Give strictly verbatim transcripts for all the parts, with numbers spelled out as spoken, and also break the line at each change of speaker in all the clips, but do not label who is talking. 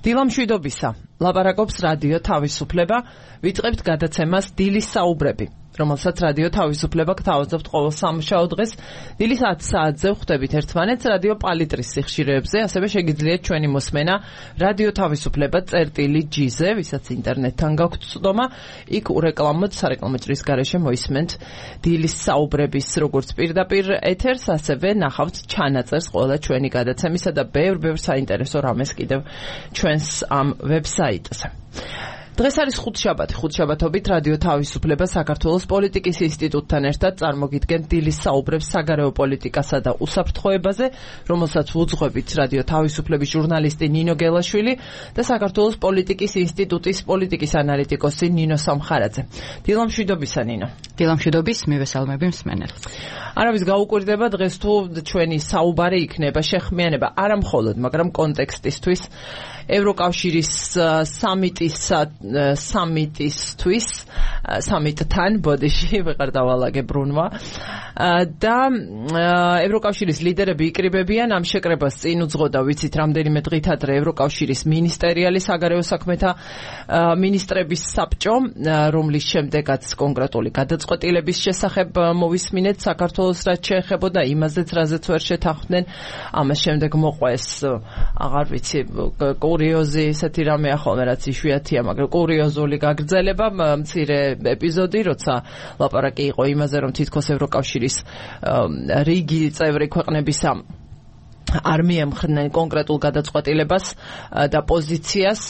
დილამშვიდობისა, ლაპარაკობს რადიო თავისუფლება, ვიწყებთ გადაცემას დილის საუბრები, რომელსაც რადიო თავისუფლება გთავაზობთ ყოველ სამუშაო დღეს. დილის ათი საათზე ვხვდებით ერთმანეთს რადიო პალიტრის სიხშირეებზე, ასევე შეგიძლიათ ჩვენი მოსმენა რადიო თავისუფლება წერტილი ჯი-ზე, ვისაც ინტერნეტთან გაქვთ წვდომა, იქ ურეკლამოთ სარეკლამო ჭრის გარეშე მოისმენთ დილის საუბრების როგორც პირდაპირ ეთერს, ასევე ნახავთ ჩანაწერს ყველა ჩვენი გადაცემისა და ბევრ-ბევრ საინტერესო რამეს კიდევ ჩვენს ამ ვებსაიტზე. დღეს არის ხუთშაბათი, ხუთშაბათობით რადიო თავისუფლება საქართველოს პოლიტიკის ინსტიტუტთან ერთად წარმოგიდგენთ დილის საუბრებს საგარეო პოლიტიკასა და უსაფრთხოებაზე, რომელსაც უძღვებით რადიო თავისუფლების ჟურნალისტი ნინო გელაშვილი და საქართველოს პოლიტიკის ინსტიტუტის პოლიტიკის ანალიტიკოსი ნინო სამხარაძე. დილამშვიდობისა ნინო.
დილამშვიდობის, მივესალმები მსმენელს.
არავის გაუკვირდება დღეს თუ ჩვენი საუბარი იქნება შეხმიანება არა მხოლოდ, მაგრამ კონტექსტისთვის ევროკავშირის სამიტის სამიტისთვის სამიტთან ბოდიში ვეღარ დავალაგე ბრუნვა და ევროკავშირის ლიდერები იკრიბებიან ამ შეკრებას წინ უძღოდა ვიცით რამდენიმე დღით ადრე ევროკავშირის მინისტერიალი საგარეო საქმეთა მინისტრების საბჭო, რომლის შემდეგაც კონკრეტული გადაწყვეტილების შესახებ მოვისმინეთ საქართველოს რაც შეეხებოდა იმაზეც რაზეც ვერ შეთანხმდნენ. ამას შემდეგ მოყვა ეს აღარ ვიცი კურიოზი ესეთი რამე ახლა რაც იშვიათია, მაგრამ კურიოზული გაგრძელება მცირე ეპიზოდი, როცა ლაპარაკი იყო იმაზე, რომ თითქოს ევროკავშირის რიგი წევრი ქვეყნებისა არ მიემხრნენ კონკრეტულ გადაწყვეტილებას და პოზიციას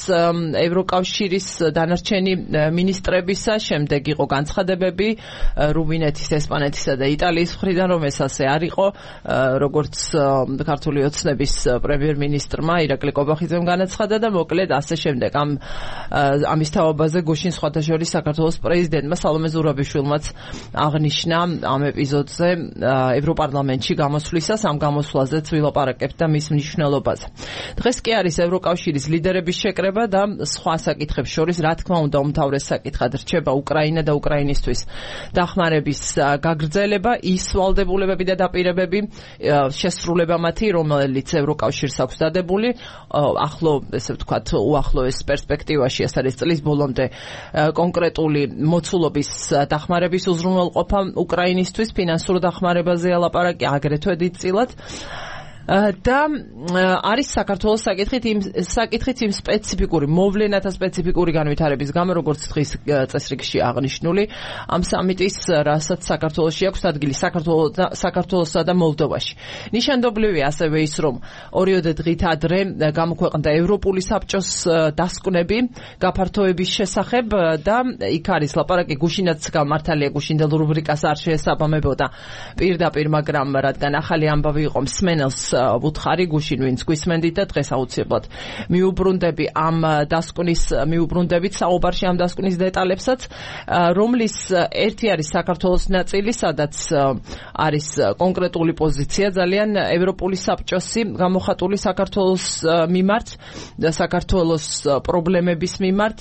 ევროკავშირის დანარჩენი მინისტრებისა. შემდეგ იყო განცხადებები რუმინეთის, ესპანეთისა და იტალიის მხრიდან, რომ ეს ასე არ იყო, როგორც ქართული ოცნების პრემიერ-მინისტრმა ირაკლი კობახიძემ განაცხადა და მოკლედ ასე შემდეგ. ამ ამის თაობაზე გუშინ სხვათა შორის საქართველოს პრეზიდენტმა სალომე ზურაბიშვილმაც აღნიშნა ამ ეპიზოდზე ევროპარლამენტში გამოსვლისას, ამ გამოსვლაზეც ვილაპარაკებთ და მის მნიშვნელობაზე. დღეს კი არის ევროკავშირის ლიდერების შეკრება და სხვა საკითხებს შორის, რა თქმა უნდა, უმთავრეს საკითხად რჩება უკრაინა და უკრაინისთვის დახმარების გაგრძელება, ის ვალდებულებები და დაპირებები, შესრულება მათი, რომელიც ევროკავშირს აქვს დადებული, ახლო, ესე ვთქვათ, უახლოეს პერსპექტივაში, ეს არის წლის ბოლომდე კონკრეტული მოცულობის დახმარების უზრუნველყოფა უკრაინისთვის, ფინანსურ დახმარებაზეა ლაპარაკი, აგრეთვე დიდწილად. და არის საქართველოს საკითხით იმ საკითხით იმ სპეციფიკური მოვლენათა სპეციფიკური განვითარების გამო, როგორც დღის წესრიგში აღნიშნული, ამ სამიტის, რასაც საქართველოში აქვს ადგილი საქართველოსსა და მოლდოვაში. ნიშანდობლივია ასევე ის, რომ ორიოდე დღით ადრე გამოქვეყნდა ევროპული საბჭოს დასკვნები გაფართოების შესახებ და იქ არის ლაპარაკი გუშინაც გამართალია, გუშინდელ რუბრიკას არ შეესაბამებოდა პირდაპირ, მაგრამ რადგან ახალი ამბავი იყო მსმენელს ვუთხარი გუშინ ვინც გვისმენდით და დღეს აუცილებლად მიუბრუნდები ამ დასკვნის მიუბრუნდებით საუბარში ამ დასკვნის დეტალებსაც, რომლის ერთი არის საქართველოს ნაწილი, სადაც არის კონკრეტული პოზიცია ძალიან ევროპული საბჭოსი გამოხატული საქართველოს მიმართ და საქართველოს პრობლემების მიმართ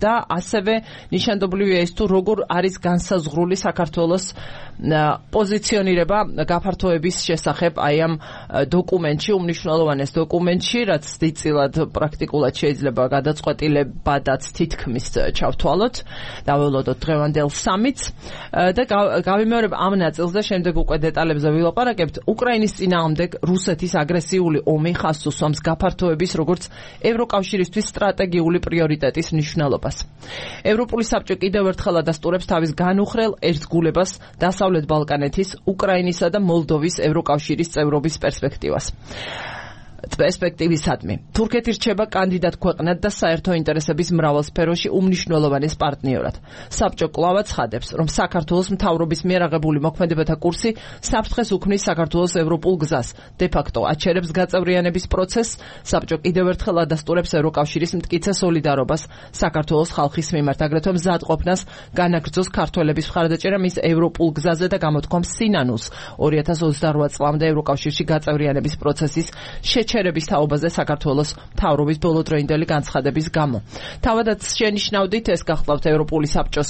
და ასევე ნიშანდობლივია ის თუ როგორ არის განსაზღვრული საქართველოს პოზიციონირება გაფართოების შესახებ აი ამ დოკუმენტში, უმნიშვნელოვანეს დოკუმენტში, რაც დიდწილად პრაქტიკულად შეიძლება გადაწყვეტილებადაც თითქმის ჩავთვალოთ, დაველოდოთ დღევანდელ სამიტს და გავიმეორებ ამ ნაწილს და შემდეგ უკვე დეტალებზე ვილაპარაკებთ. უკრაინის წინააღმდეგ რუსეთის აგრესიული ომი ხაზს უსვამს გაფართოების როგორც ევროკავშირისთვის სტრატეგიული პრიორიტეტის მნიშვნელობას. ევროპული საბჭო კიდევ ერთხელ ადასტურებს თავის განუხრელ ერთგულებას დასავლეთ ბალკანეთის, უკრაინისა და მოლდოვის ევროკავშირის წევრობის პერსპექტივას. პერსპექტივისადმი. თურქეთი რჩება კანდიდატ ქვეყნად და საერთო ინტერესების მრავალ სფეროში უმნიშვნელოვანეს პარტნიორად. საბჭო კვლავ ცხადებს, რომ საქართველოს მთავრობის მიერ აღებული მოქმედებათა კურსი საფრთხეს უქმნის საქართველოს ევროპულ გზას. De facto აჩერებს გაწევრიანების პროცესს. საბჭო კიდევ ერთხელ ადასტურებს ევროკავშირის მტკიცე სოლიდარობას საქართველოს ხალხის მიმართ, აგრეთვე მზადყოფნას განაგრძოს ქართველების მხარდაჭერა მის ევროპულ გზაზე და გამოთქვამს სინანულს ორი ათას ოცდარვა წლამდე ევროკავშირში გაწევრიანების პროცესის შეჩერებას შეჩერების თაობაზე საქართველოს მთავრობის ბოლოდროინდელი განცხადების გამო. თავადაც შენიშნავდით ეს გახლავთ ევროპული საბჭოს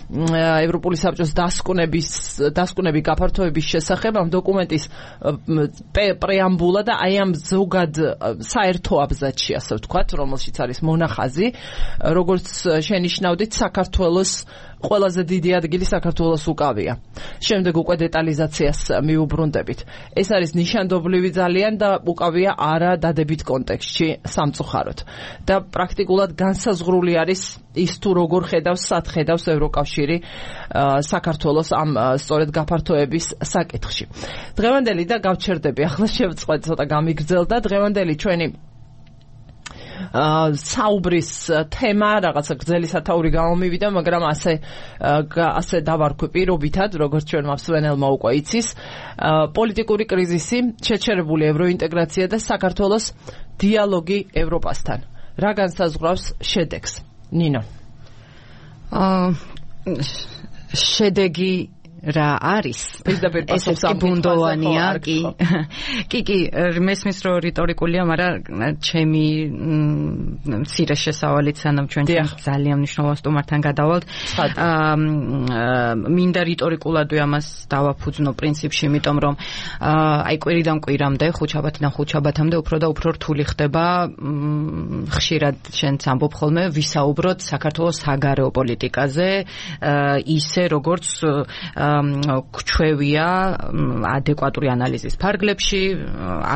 ევროპული საბჭოს დასკვნების დასკვნები გაფართოების შესახებ ამ დოკუმენტის პრეამბულა და აი ამ ზოგად საერთო აბზაცი, ასე ვთქვათ, რომელშიც არის მონახაზი, როგორც შენიშნავდით, საქართველოს ყველაზე დიდი ადგილი საქართველოს უკავია. შემდეგ უკვე დეტალიზაციას მიუბრუნდებით. ეს არის ნიშანდობლივი ძალიან და უკავია არა დადებით კონტექსტში სამწუხაროდ. და პრაქტიკულად განსაზღვრული არის ის თუ როგორ ხედავს, სად ხედავს ევროკავშირი საქართველოს ამ სწორედ გაფართოების საკითხში. დღევანდელი და გავჩერდები, ახლა შევწყვეტ ცოტა გამიგრძელდა დღევანდელი ჩვენი საუბრის თემა რაღაცა გრძელი სათაური გამომივიდა, მაგრამ ასე ასე დავარქვი პირობითად, როგორც ჩვენ მსმენელმა უკვე იცის, პოლიტიკური კრიზისი, შეჩერებული ევროინტეგრაცია და საქართველოს დიალოგი ევროპასთან. რა განსაზღვრავს შედეგს? ნინო.
აა შედეგი რა არის? ეს ბუნდოვანია, კი. კი, კი, მესმის რომ რიტორიკულია, მაგრამ ჩემი მცირე შესავალით სანამ ჩვენ ძალიან მნიშვნელოვან სტუმართან გადავალთ. აა მინდა რიტორიკულადვე ამას დავაფუძნო პრინციპში, იმიტომ რომ აი კვირიდან კვირამდე, ხუთშაბათიდან ხუთშაბათამდე უფრო და უფრო რთული ხდება, ხშირად შენც ამბობ ხოლმე, ვისაუბროთ საქართველოს საგარეო პოლიტიკაზე, ისე როგორც გვჩვევია ადეკვატური ანალიზის ფარგლებში,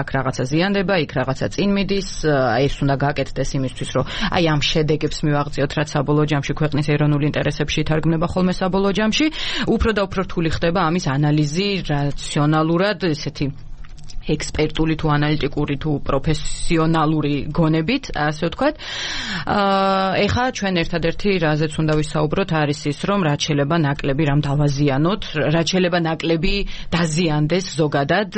აქ რაღაცა ზიანდება, იქ რაღაცა წინ მიდის, ეს უნდა გაკეთდეს იმისთვის, რომ აი ამ შედეგებს მივაღწიოთ, რაც საბოლოო ჯამში ქვეყნის ეროვნულ ინტერესებში ითარგმნება ხოლმე საბოლოო ჯამში, უფრო და უფრო რთული ხდება ამის ანალიზი რაციონალურად, ესეთი ექსპერტული თუ ანალიტიკური თუ პროფესიონალური გონებით, ასე ვთქვათ. აა ეხლა ჩვენ ერთადერთი რაზეც უნდა ვისაუბროთ არის ის, რომ რაც შეიძლება ნაკლები რამ დავაზიანოთ, რაც შეიძლება ნაკლები დაზიანდეს ზოგადად,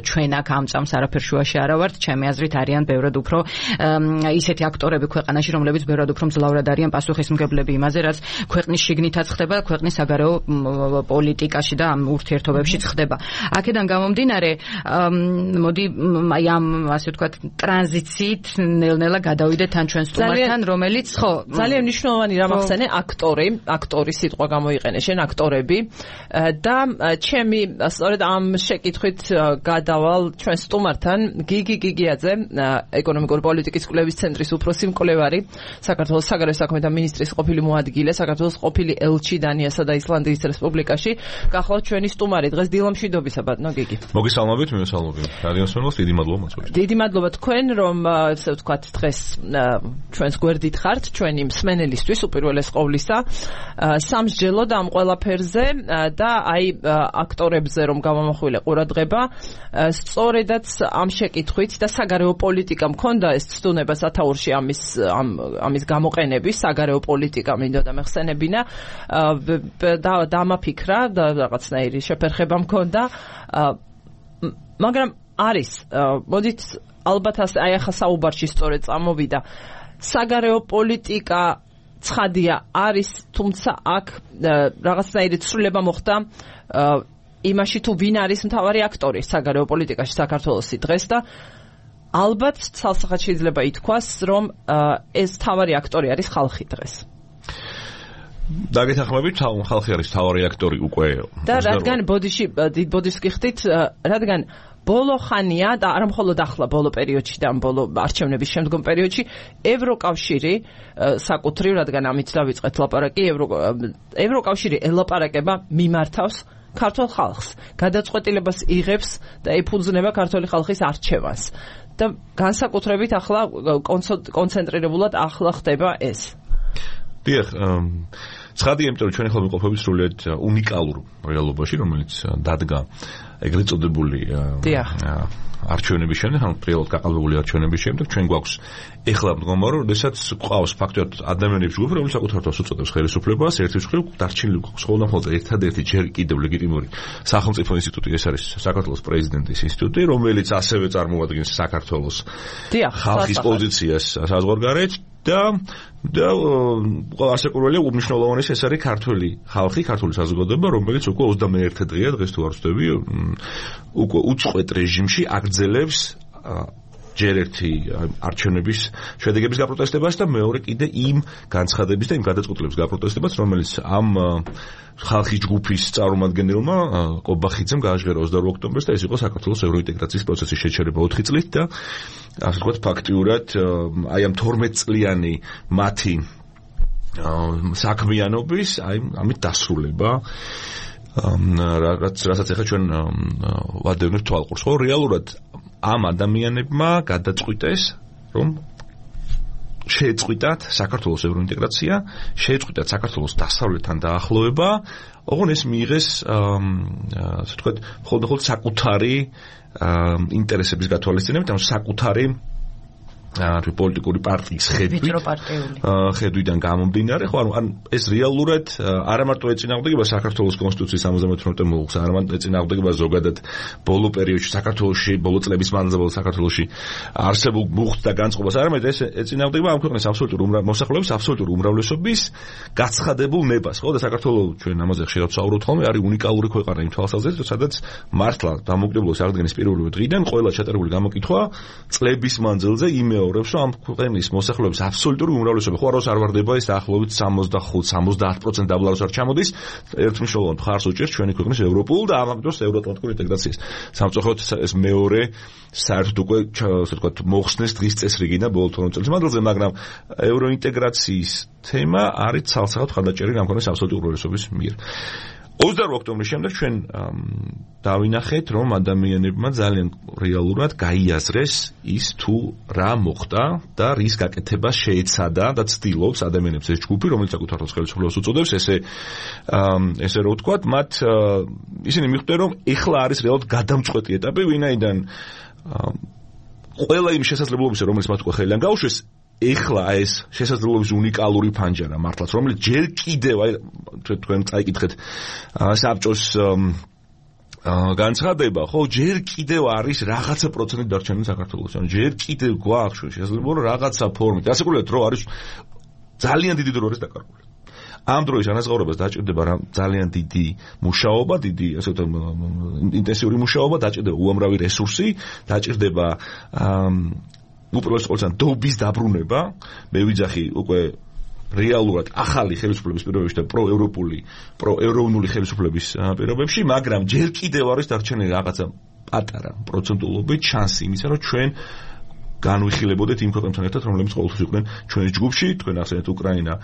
ჩვენ აქ ამ წამს არაფერ შუაში არა ვართ, ჩემი აზრით არიან ბევრად უფრო ისეთი აქტორები ქვეყანაში, რომლებიც ბევრად უფრო მძლავრად არიან პასუხისმგებლები იმაზე, რაც ქვეყნის შიგნითაც ხდება, ქვეყნის საგარეო პოლიტიკაში და ამ ურთიერთობებშიც ხდება. აქედან გამომდინარე, მოდი აი ამ ასე ვთქვათ ტრანზიციით ნელ-ნელა გადავიდეთ თან ჩვენ სტუმართან, რომელიც ხო
ძალიან მნიშვნელოვანი რამ ახსენე, აქტორი, აქტორის სიტყვა გამოიყენე შენ, აქტორები და ჩემი სწორედ ამ შეკითხვით გადავალ ჩვენ სტუმართან გიგი გიგიაძე, ეკონომიკური პოლიტიკის კვლევის ცენტრის უფროსი მკვლევარი, საქართველოს საგარეო საქმეთა მინისტრის ყოფილი მოადგილე, საქართველოს ყოფილი ელჩი დანიასა და ისლანდიის რესპუბლიკაში. გახლავთ ჩვენი სტუმარი დღეს დილამშვიდობისა, ბატონო გიგი.
მოგესალმებით, მივესალმებით რადიოს მსმენელს, დიდი მადლობა მოწვევით.
დიდი მადლობა თქვენ, რომ ასე ვთქვათ, დღეს ჩვენს გვერდით ხართ, ჩვენი მსმენელისთვის უპირველეს ყოვლისა, სამსჯელოდ ამ ყველაფერზე და აი აქტორებზე რომ გამომახვილე ყურადღება, სწორედაც ამ შეკითხვით და საგარეო პოლიტიკა მქონდა ეს ცდუნება სათაურში ამის ამის გამოყენების, საგარეო პოლიტიკა მინდოდა მეხსენებინა და დამაფიქრა და რაღაცნაირი შეფერხება მქონდა. მაგრამ არის, მოდით ალბათ აი ახლა საუბარში სწორედ წამოვიდა, საგარეო პოლიტიკა ცხადია არის, თუმცა აქ რაღაცნაირი ცვლილება მოხდა იმაში თუ ვინ არის მთავარი აქტორი საგარეო პოლიტიკაში საქართველოსი დღეს და ალბათ ცალსახად შეიძლება ითქვას, რომ ეს მთავარი აქტორი არის ხალხი დღეს.
დაგეთანხმებით, ხალხი არის მთავარი აქტორი უკვე.
და რადგან ბოდიში დიდ ბოდიშს გიხდით, რადგან ბოლო ხანია და არა მხოლოდ ახლა ბოლო პერიოდში და ბოლო არჩევნების შემდგომ პერიოდში ევროკავშირი საკუთრივ, რადგან ამით დავიწყეთ ლაპარაკი, ევროკავშირი ელაპარაკება მიმართავს ქართულ ხალხს, გადაწყვეტილებას იღებს და ეფუძნება ქართული ხალხის არჩევანს. და განსაკუთრებით ახლა კონცენტრირებულად ახლა ხდება ეს.
დიახ, ცხადია, იმიტომ რომ ჩვენი ხოლმე ყოფებით სრულიად უნიკალურ რეალობაში, რომელიც დადგა ეგრეთ წოდებული არჩევნების შემდეგ, ანუ პრიალოდ გაყალბებული არჩევნების შემდეგ, ჩვენ გვაქვს ეხლა მდგომარე, როდესაც გვყავს ფაქტობრივად ადამიანების ჯგუფი, რომელიც საკუთარ თავს უწოდებს ხელისუფლებას, ერთის მხრივ დარჩენილი გვაქვს ხოლმე მხოლოდ ერთადერთი ჯერ კიდევ ლეგიტიმური სახელმწიფო ინსტიტუტი, ეს არის საქართველოს პრეზიდენტის ინსტიტუტი, რომელიც ასევე წარმოადგენს საქართველოს ხალხის პოზიციას საზღვარგარეთ და და ასაკურველია უმნიშვნელოვანესი ეს არის ქართული ხალხი, ქართული საზოგადოება, რომელიც უკვე ოცდამეერთე დღეა, დღეს თუ არ ვცდები, უკვე უწყვეტ რეჟიმში აგრძელებს ჯერ ერთი არჩევნების შედეგების გაპროტესტებას და მეორე კიდე იმ განცხადების და იმ გადაწყვეტილების გაპროტესტებას, რომელიც ამ ხალხის ჯგუფის წარმომადგენელმა ყობახიძემ გააჟღერა ოცდაორ ოქტომბერს და ეს იყო საქართველოს ევროინტეგრაციის პროცესის შეჩერება ოთხი წლით და ასე ვთქვათ ფაქტიურად აი ამ თორმეტ წლიანი მათი საქმიანობის აი ამით დასრულება რაც რასაც ახლა ჩვენ ვადევნებთ თვალყურს ხო რეალურად ამ ადამიანებმა გადაწყვიტეს რომ შეეწყვიტათ საქართველოს ევროინტეგრაცია, შეეწყვიტათ საქართველოს დასავლეთთან დაახლოება, ოღონდ ეს მიიღეს ასე ვთქვათ მხოლოდ საკუთარი ინტერესების გათვალისწინებით, ანუ საკუთარი არის პოლიტიკური პარტიის ხედვით ხედვიდან გამომდინარე ხო ანუ ეს რეალურად არა მარტო ეწინააღმდეგება საქართველოს კონსტიტუციის სამოცდამოთხმეტე მუხლს არა მარტო ეწინააღმდეგება ზოგადად ბოლო პერიოდში საქართველოში ბოლო წლების მანძილზე საქართველოში არსებულ მუხლს და განწყობას არამედ ეს ეწინააღმდეგება ამ ქვეყნის აბსოლუტურ მოსახლეობის აბსოლუტურ უმრავლესობის გაცხადებულ ნებას ხო და საქართველოს ჩვენ ამაზე ხშირად ვსაუბრობთ ხოლმე არის უნიკალური ქვეყანა იმ თვალსაზრისით სადაც მართლა დამოუკიდებლობის აღდგენის პირველივე დღიდან ყველა ჩატარებული გამოკითხვა წლების მანძილზე იმეორებს რომ ამ ქვეყნის მოსახლეობის აბსოლუტური უმრავლესობა ხო აროს არ ვარდება ეს დაახლოებით სამოცდახუთ სამოცდაათ პროცენტ დაბლაროს არ ჩამოდის ერთმნიშვნელოვან მხარს უჭერს ჩვენი ქვეყნის ევროპულ და ამავდროულად ევროატლანტიკურ ინტეგრაციას სამწუხაროდ ეს მეორე საერთოდ უკვე ასე ვთქვათ მოხსნეს დღის წესრიგიდან ბოლო თორმეტ წელიწადს მანძილზე მაგრამ ევროინტეგრაციის თემა არის ცალსახად ხანდაჭერილი ამ ქვეყნის აბსოლუტური უმრავლესობის მიერ ოცდაორ ოქტომბრის შემდეგ ჩვენ დავინახეთ რომ ადამიანებმა ძალიან რეალურად გაიაზრეს ის თუ რა მოხდა და რის გაკეთებას შეეცადა და ცდილობს ადამიანებს ეს ჯგუფი რომელიც საკუთარ ხელისუფლებას უწოდებს ესე ესე რო ვთქვათ მათ ისინი მიხვდნენ რომ ეხლა არის რეალურად გადამწყვეტი ეტაპი ვინაიდან ყველა იმ შესაძლებლობისა რომელიც მათ უკვე ხელიდან გაუშვეს ეხლა ეს შესაძლებლობის უნიკალური ფანჯარა მართლაც რომელიც ჯერ კიდევ აი თქვენ წაიკითხეთ საბჭოს განცხადება ხო ჯერ კიდევ არის რაღაცა პროცენტი დარჩენილი საქართველოს ანუ ჯერ კიდევ გვაქვს შესაძლებლობა რომ რაღაცა ფორმით ასაკურებთ რომ არის ძალიან დიდი დრო არის დაკარგული ამ დროის ანაზღაურებას დაჭირდება რა ძალიან დიდი მუშაობა დიდი ასე ვთქვათ ინტენსიური მუშაობა დაჭირდება უამრავი რესურსი დაჭირდება უპირველეს ყოვლისა დობის დაბრუნება მე ვიძახი უკვე რეალურად ახალი ხელისუფლების პირობებში და პროევროპული პროევროპული ხელისუფლების პირობებში მაგრამ ჯერ კიდევ არის დარჩენილი რაღაცა პატარა პროცენტულობით შანსი იმისა რომ ჩვენ განვიხილებოდეთ იმ ქვეყნებთან ერთად რომლებიც ყოველთვის იყვნენ ჩვენს ჯგუფში თქვენ ახსენეთ უკრაინა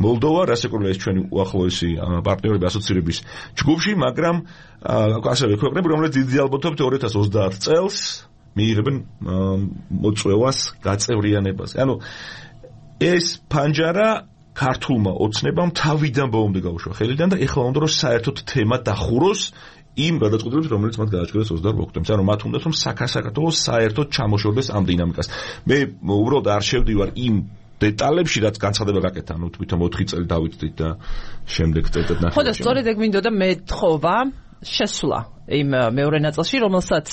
მოლდოვა რასაკვირველია ეს ჩვენი უახლოესი პარტნიორები ასოცირების ჯგუფში მაგრამ ასევე ქვეყნები რომლებიც დიდი ალბათობით ორი ათას ოცდაათ წელს მიიღებენ მოწვევას გაწევრიანებას. ანუ ეს ფანჯარა ქართულმა ოცნებამ თავიდან ბოლომდე გაუშვა ხელიდან და ეხლა უნდა რომ საერთოდ თემა დახუროს იმ გადაწყვეტილებას რომელიც მათ გააჩნიათ ოცდაორ ოქტომბერს. ანუ მათ უნდათ რომ საქართველოს საერთოდ ჩამოშორდეს ამ დინამიკას. მე უბრალოდ არ შევდივარ იმ დეტალებში რაც განცხადება გაკეთა. ანუ თვითონ ოთხი წელი დავიწყდით და შემდეგ წელიწად ნახევარი.
ხო და სწორედ ეგ მინდოდა მეთხოვა შესვლა იმ მეორე ნაწილში რომელსაც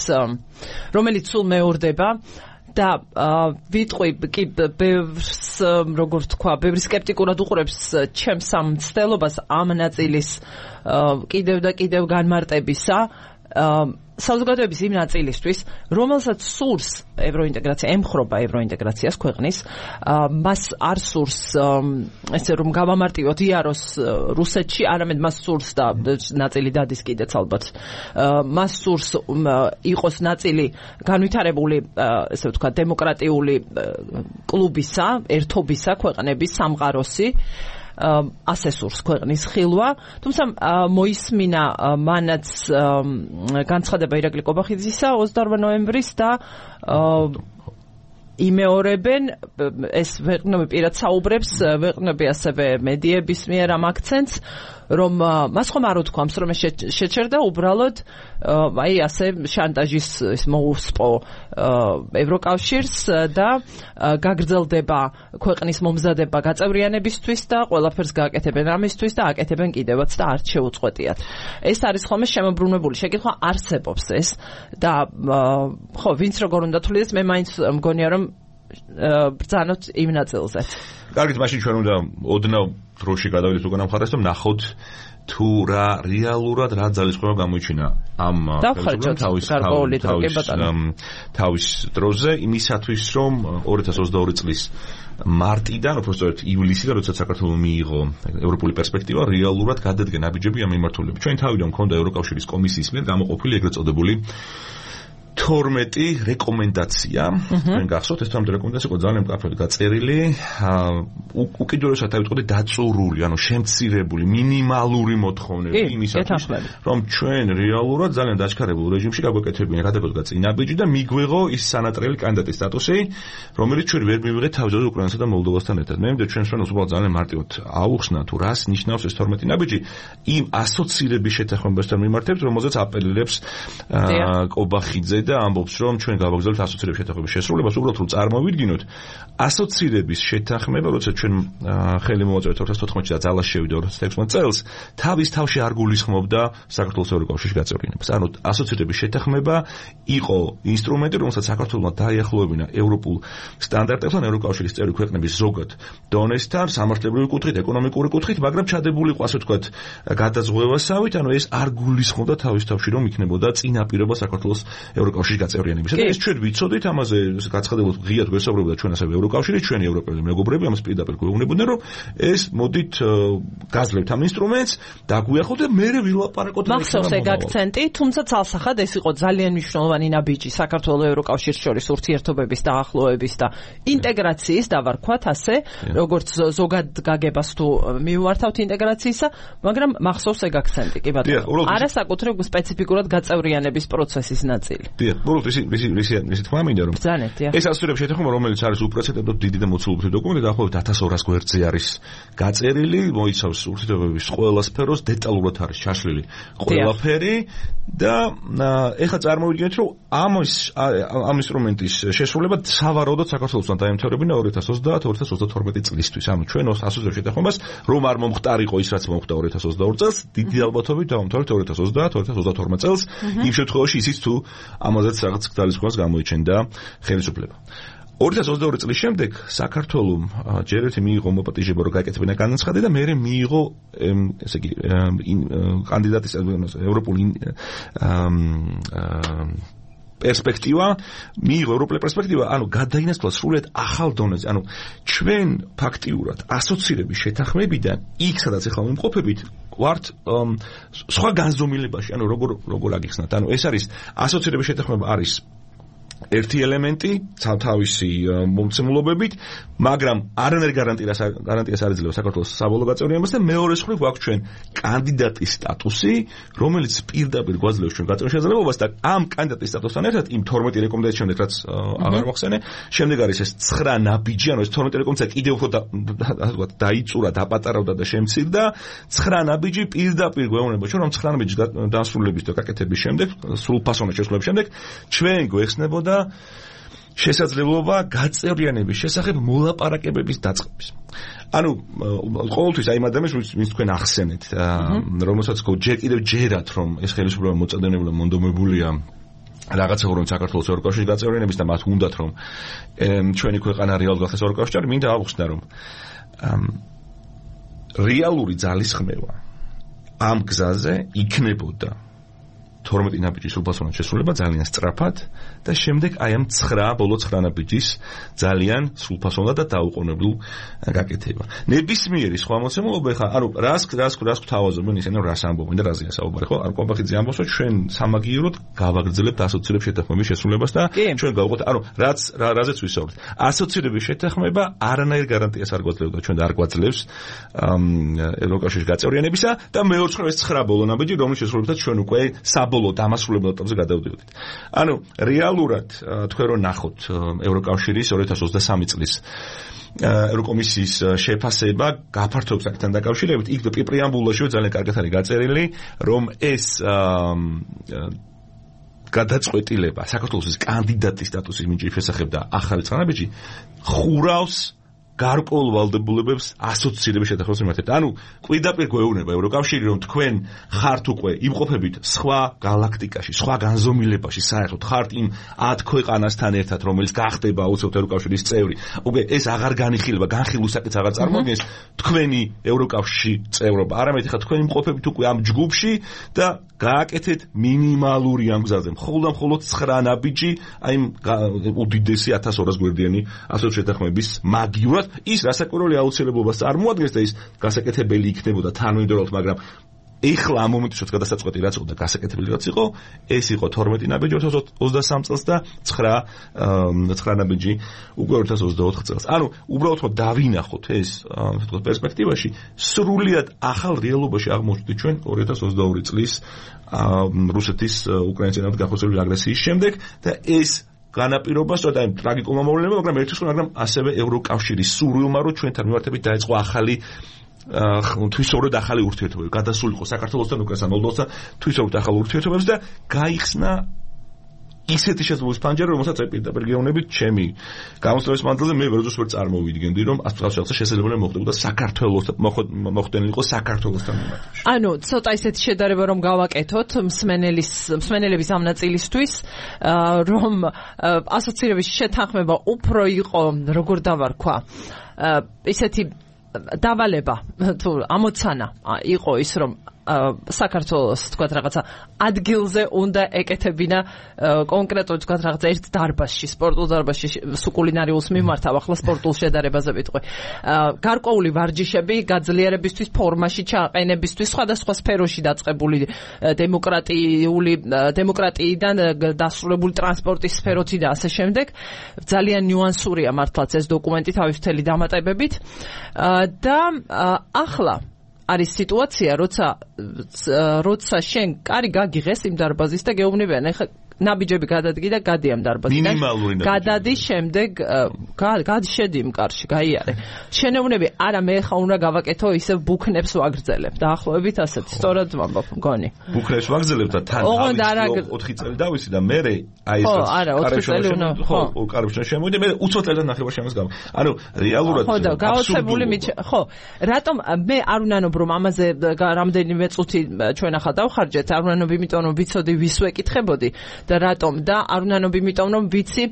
რომელიც სულ მეორდება და ვიტყვი კი ბევრს როგორ თქვა ბევრი სკეპტიკურად უყურებს ჩემს ამ ცდელობას ამ ნაწილის კიდევ და კიდევ განმარტებისა საზოგადოების იმ ნაწილისთვის რომელსაც სურს ევროინტეგრაცია ემხრობა ევროინტეგრაციას ქვეყნის მას არ სურს ესე რომ გავამარტივოთ იაროს რუსეთში არამედ მას სურს და ნაწილი დადის კიდეც ალბათ მას სურს იყოს ნაწილი განვითარებული ესე ვთქვათ დემოკრატიული კლუბისა ერთობისა ქვეყნების სამყაროსი ასე სურს ქვეყნის ხილვა თუმცა მოისმინა მანაც განცხადება ირაკლი ყობახიძისა ოცდაორ ნოემბრის და იმეორებენ ეს ვეყნები პირად საუბრებს ვეყნები ასევე მედიების მიერ ამ აქცენტს რომ მას ხომ არ უთქვამს რომ შეჩერდა უბრალოდ აი ასე შანტაჟის ის მოუსპო ევროკავშირს და გაგრძელდება ქვეყნის მომზადება გაწევრიანებისთვის და ყველაფერს გააკეთებენ ამისთვის და აკეთებენ კიდევაც და არც შეუწყვეტიათ ეს არის ხოლმე შემოbrunებული შეკითხვა არსებობს ეს და ხო ვინც როგორ უნდა თulides მე მაინც მგონია რომ ბრძანოთ იმ ნაწილზე
კარგით, მაშინ ჩვენ უნდა ოდნავ დროში გადავიდეთ უკანა მხარეს და ვნახოთ თუ რა რეალურად რა ძალისხმევა გამოიჩინა ამ
თავის
თავის დროზე იმისათვის რომ ორი ათას ოცდაორი წლის მარტიდან უბრალოდ ივლისიდან როდესაც საქართველოს მიიღო ევროპული პერსპექტივა რეალურად გადადგა ნაბიჯები ამ მიმართულებით. ჩვენ თავიდან მქონდა ევროკავშირის კომისიის მიერ გამოყოფილი ეგრეთ წოდებული თორმეტი რეკომენდაცია. თქვენ გახსოვთ ეს თორმეტი რეკომენდაცია იყო ძალიან მკაფიოდ გაწერილი, უკიდურესად დავიწყოთ დაწურული, ანუ შემცირებული მინიმალური მოთხოვნები იმისათვის, რომ ჩვენ რეალურად ძალიან დაჩქარებულ რეჟიმში გაგვეკეთებინა გადაგოდგა წინაბიჯი და მიგვიღო ის სანატრელი კანდიდატის სტატუსი, რომელიც ჩვენ ვერ მივიღეთ თავისუფლად უკრაინასა და მოლდოვასთან ერთად. მე მგონი ჩვენ ჩვენ უბრალოდ ძალიან მარტივად აუხსნა თუ რას ნიშნავს ეს თორმეტი ნაბიჯი იმ ასოცირების შეთანხმებასთან მიმართებით, რომელზეც აპელირებს კობახიძე და ამბობს რომ ჩვენ გავაგზავნებთ ასოცირების შეთანხმების შესრულებას, უბრალოდ რომ წარმოვიდგინოთ ასოცირების შეთანხმება, როცა ჩვენ ხელი მოვაწევთ ორი ათას თოთხმეტში და ძალას შევიდა ორი ათას ექვსმეტ წელს, თავის თავში არ გულისხმობდა საქართველოს ევროკავშირში გაწევრიანებას. ანუ ასოცირების შეთანხმება იყო ინსტრუმენტი, რომელსაც საქართველოსმა დაიახლოვებინა ევროპულ სტანდარტებთან, ევროკავშირის წევრი ქვეყნების ზოგად დონესთან, სამართლებრივი კუთხით, ეკონომიკური კუთხით, მაგრამ ჩადებული იყო ასე ვთქვათ გადაზღვევასავით, ანუ ეს არ გულისხმობდა თავის თავში რომ იქნებოდა წინაპირობა საქართველოს ევროკავშირში გაწევრიანებისა. და ეს ჩვენ ვიცოდით, ამაზე გაცხადებულ ღიად გვესაუბრებოდა ჩვენ ასევე ევროკავშირი, ჩვენი ევროპელი მეგობრები, ამას პირდაპირ გვეუბნებოდნენ, რომ ეს მოდით გაძლევთ ამ ინსტრუმენტს, დაგვიახოთ და მერე ვილაპარაკოთ.
მახსოვს ეგ აქცენტი, თუმცა ცალსახად ეს იყო ძალიან მნიშვნელოვანი ნაბიჯი საქართველოს ევროკავშირს შორის ურთიერთობების დაახლოების და ინტეგრაციის, დავარქვათ ასე, როგორც ზოგად გაგებას თუ მივმართავთ ინტეგრაციისა, მაგრამ მახსოვს ეგ აქცენტი, კი ბატონო. არა საკუთრებ სპეციფიკურად გაწევრიანების პროცესის ნაწილი.
დიახ, უბრალოდ ისი ისი ისი თქმა მინდა რომ ეს ასოცირების შეთანხმება, რომელიც არის უპრეცედენტოდ დიდი და მოცულობითი დოკუმენტი, დაახლოებით ათას ორას გვერდზე არის გაწერილი, მოიცავს ურთიერთობების ყველა სფეროს, დეტალურად არის ჩაშლილი ყველაფერი და ეხლა წარმოვიდგინეთ, რომ ამ ამ ინსტრუმენტის შესრულება სავარაუდოდ საქართველოსთან დაემთავრებინა ორი ათას ოცდაათ ორი ათას ოცდათორმეტი წლისთვის. ანუ ჩვენ ასოცირების შეთანხმებას რომ არ მომხდარიყო ის, რაც მომხდა ორი ათას ოცდაორი წელს, დიდი ალბათობით დავამთავრებთ ორი ათას ოცდაათ ორი ათას ოცდათორმეტ წელს, იმ შემთხვევაში ისიც თუ ამაზეც რაღაც ძალისხმევას გამოიჩენდა ხელისუფლება. ორი ათას ოცდაორი წლის შემდეგ საქართველოს ჯერ ერთი მიიღო მოპატიჟება რომ გაეკეთებინა განაცხადი და მერე მიიღო ესე იგი კანდიდატის ევროპული პერსპექტივა, მიიღო ევროპული პერსპექტივა, ანუ გადაინაცვლა სრულიად ახალ დონეზე. ანუ ჩვენ ფაქტიურად ასოცირების შეთანხმებიდან იქ სადაც ახლა ვიმყოფებით, ვართ სხვა განზომილებაში, ანუ როგორ როგორ აგიხსნათ. ანუ ეს არის ასოცირების შეთანხმება არის ერთი ელემენტი თავისი მომცემლობებით, მაგრამ არანაირ გარანტიას გარანტიას არ ეძლევა საქართველოს საბოლოო გაწევრიანებას და მეორე მხრივ გვაქვს ჩვენ კანდიდატის სტატუსი, რომელიც პირდაპირ გვაძლევს ჩვენ გაწევრიანების შესაძლებლობას და ამ კანდიდატის სტატუსთან ერთად იმ თორმეტი რეკომენდაციის შემდეგ, რაც აღარ მოხსენე, შემდეგ არის ეს ცხრა ნაბიჯი, ანუ ეს თორმეტი რეკომენდაცია კიდევ უფრო დაიწურა, დაპატარავდა და შემცირდა, ცხრა ნაბიჯი პირდაპირ გვეუბნება ჩვენ, რომ ცხრა ნაბიჯის დასრულების და გაკეთების შემდეგ, სრულფასოვნად შესრულების შემდეგ, ჩვენ გვეხსნებოდა შესაძლებლობა გაწევრიანების შესახებ მოლაპარაკებების დაწყების. ანუ ყოველთვის აი ამ ადამიანს ვინც თქვენ ახსენეთ, რომელსაც ჯერ კიდევ ჯერათ, რომ ეს ხელისუფლება მოწოდებული მონდომებულია რაღაცა რომ საქართველოს ევროკავშირში გაწევრიანების და მათ უნდათ რომ ჩვენი ქვეყანა რეალურად გახდეს ევროკავშირში, მინდა აუხსნა რომ რეალური ძალისხმევა ამ გზაზე იქნებოდა თორმეტი ნაბიჯის სრულფასოვნად შესრულება ძალიან სწრაფად და შემდეგ აი ამ ცხრა ბოლო ცხრა ნაბიჯის ძალიან სრულფასოვნად და დაუყოვნებლივ გაკეთება. ნებისმიერი სხვა მოცემულობა ხა, ანუ რას რას რას გვთავაზობენ ისინი, რას ამბობენ და რაზეა საუბარი, ხო? არ კობახიძე ამბობს, რომ ჩვენ სამაგიეროდ გავაგრძელებთ ასოცირების შეთანხმების შესრულებას და ჩვენ გავუყოთ, ანუ რაც რაზეც ვისაუბრეთ. ასოცირების შეთანხმება არანაირ გარანტიას არ გვაძლევდა ჩვენ და არ გვაძლევს ევროკავშირის გაწევრიანებისა და მეორე მხრივ ეს ცხრა ბოლო ნაბიჯი, რომლის შესრულებაც ჩვენ უკვე საბოლოო დამასრულებელ ეტაპზე გადავდივართ. ანუ რეალურად თქვენ რომ ნახოთ ევროკავშირის ორი ათას ოცდასამი წლის ევროკომისიის შეფასება გაფართოებს აქთან დაკავშირებით, იქ პრეამბულაშივე ძალიან კარგად არის გაწერილი, რომ ეს გადაწყვეტილება საქართველოს კანდიდატის სტატუსის მინიჭის შესახებ და ახალი ცხრა ნაბიჯი ხურავს გარკვეულ ვალდებულებებს ასოცირების შეთანხმებას მიმართებით. ანუ პირდაპირ გვეუბნება ევროკავშირი, რომ თქვენ ხართ უკვე იმყოფებით სხვა galaktikაში, სხვა განზომილებაში, საერთოდ ხართ იმ ათ ქვეყანასთან ერთად, რომელიც გახდება აუცილებლად ევროკავშირის წევრი. უკვე ეს აღარ განიხილება, განხილვის საკითხს აღარ წარმოადგენს თქვენი ევროკავშირში წევრობა. არამედ ხა თქვენ იმყოფებით უკვე ამ ჯგუფში და გააკეთეთ მინიმალური ამ გზაზე. მხოლოდ და მხოლოდ ცხრა ნაბიჯი, აი უდიდესი ათას ორას გვერდიანი ასოც შეთანხმების მაგივრად ის რასაკვირველი აუცილებლობას წარმოადგენს და ის გასაკეთებელი იქნებოდა თანმიმდევრულად, მაგრამ ეხლა ამ მომენტში გადასაწყვეტი რაც იყო და გასაკეთებელი რაც იყო, ეს იყო თორმეტი ნაბიჯი ორ ათას ოცდასამ წელს და ცხრა ცხრა ნაბიჯი უკვე ორ ათას ოცდაოთხ წელს. ანუ უბრალოდ რომ დავინახოთ ეს თქო პერსპექტივაში, სრულიად ახალ რეალობაში აღმოჩნდით ჩვენ ორი ათას ოცდაორი წლის რუსეთის უკრაინასთან გახოსებული აგრესიის შემდეგ და ეს განაპირობა სწორედ აი ტრაგიკულმა მოვლენებმა, მაგრამ ერთის მაგრამ ასევე ევროკავშირის სურვილმა, რომ ჩვენთან მიმართებით დაიწყო ახალი თვისობრივად ახალი ურთიერთობები, გადასულიყო საქართველოსთან, უკრაინასთან, მოლდოვასთან თვისობრივად ახალ ურთიერთობებს და გაიხსნა ისეთი შესაძლებლობის ფანჯარა, რომელსაც აი პირდაპირ გეუბნებით ჩემი გამოსწორების მანძილზე მე ვერდოს ვერ წარმოვიდგენდი, რომ ასწავლოს შესაძლებელი მოხდებოდა საქართველოსთან, მოხდენილიყო საქართველოსთან მიმართებაში.
ანუ ცოტა ისეთი შედარება რომ გავაკეთოთ მსმენელის მსმენელების ამ ნაწილისთვის, რომ ასოცირების შეთანხმება უფრო იყო, როგორ დავარქვა, ისეთი დავალება თუ ამოცანა იყო ის რომ საქართველოს თქვათ რაღაცა ადგილზე უნდა ეკეთებინა კონკრეტულად თქვათ რაღაცა ერთ დარბაზში, სპორტულ დარბაზში სუკულინარიულს მიმართავ, ახლა სპორტულ შედარებაზე ვიტყვი. გარკვეული ვარჯიშები გაძლიერებისთვის, ფორმაში ჩაყენებისთვის, სხვადასხვა სფეროში დაწყებული დემოკრატიული დემოკრატიიდან დასრულებული ტრანსპორტის სფეროთი და ასე შემდეგ. ძალიან ნიუანსურია მართლაც ეს დოკუმენტი თავისუფლი დამატებებით და ახლა არის სიტუაცია, როცა როცა შენ კარი გაგიღეს იმ დარბაზის და გეუბნებიან, ეხლა ნაბიჯები გადადგი და გადი ამ დარბაზიდან. გადადი შემდეგ გადშედი იმ კარში, გაიარე. შენეუნები, არა მე ხა უნდა გავაკეთო ისევ ბუქნებს ვაგრძელებ. დაახლოებით ასეთი, სწორად ვამბობ, მგონი.
ბუქნებს ვაგრძელებ და თან ოთხი წელი დავისი და მე აი
ეს არა, ოთხი წელი უნდა.
ხო, კარებში შემოვიდე, მე უცბად წელს ნახევარ შემოს გავ. ანუ რეალურად
ხო და გაოცებული ხო, რატომ მე არ უნანობ რომ ამაზე რამდენიმე წუთი ჩვენ ახლა დავხარჯეთ, არ უნანობ იმიტომ რომ ვიცოდი ვის ვეკითხებოდი და რატომ და არ უნანობ იმიტომ რომ ვიცი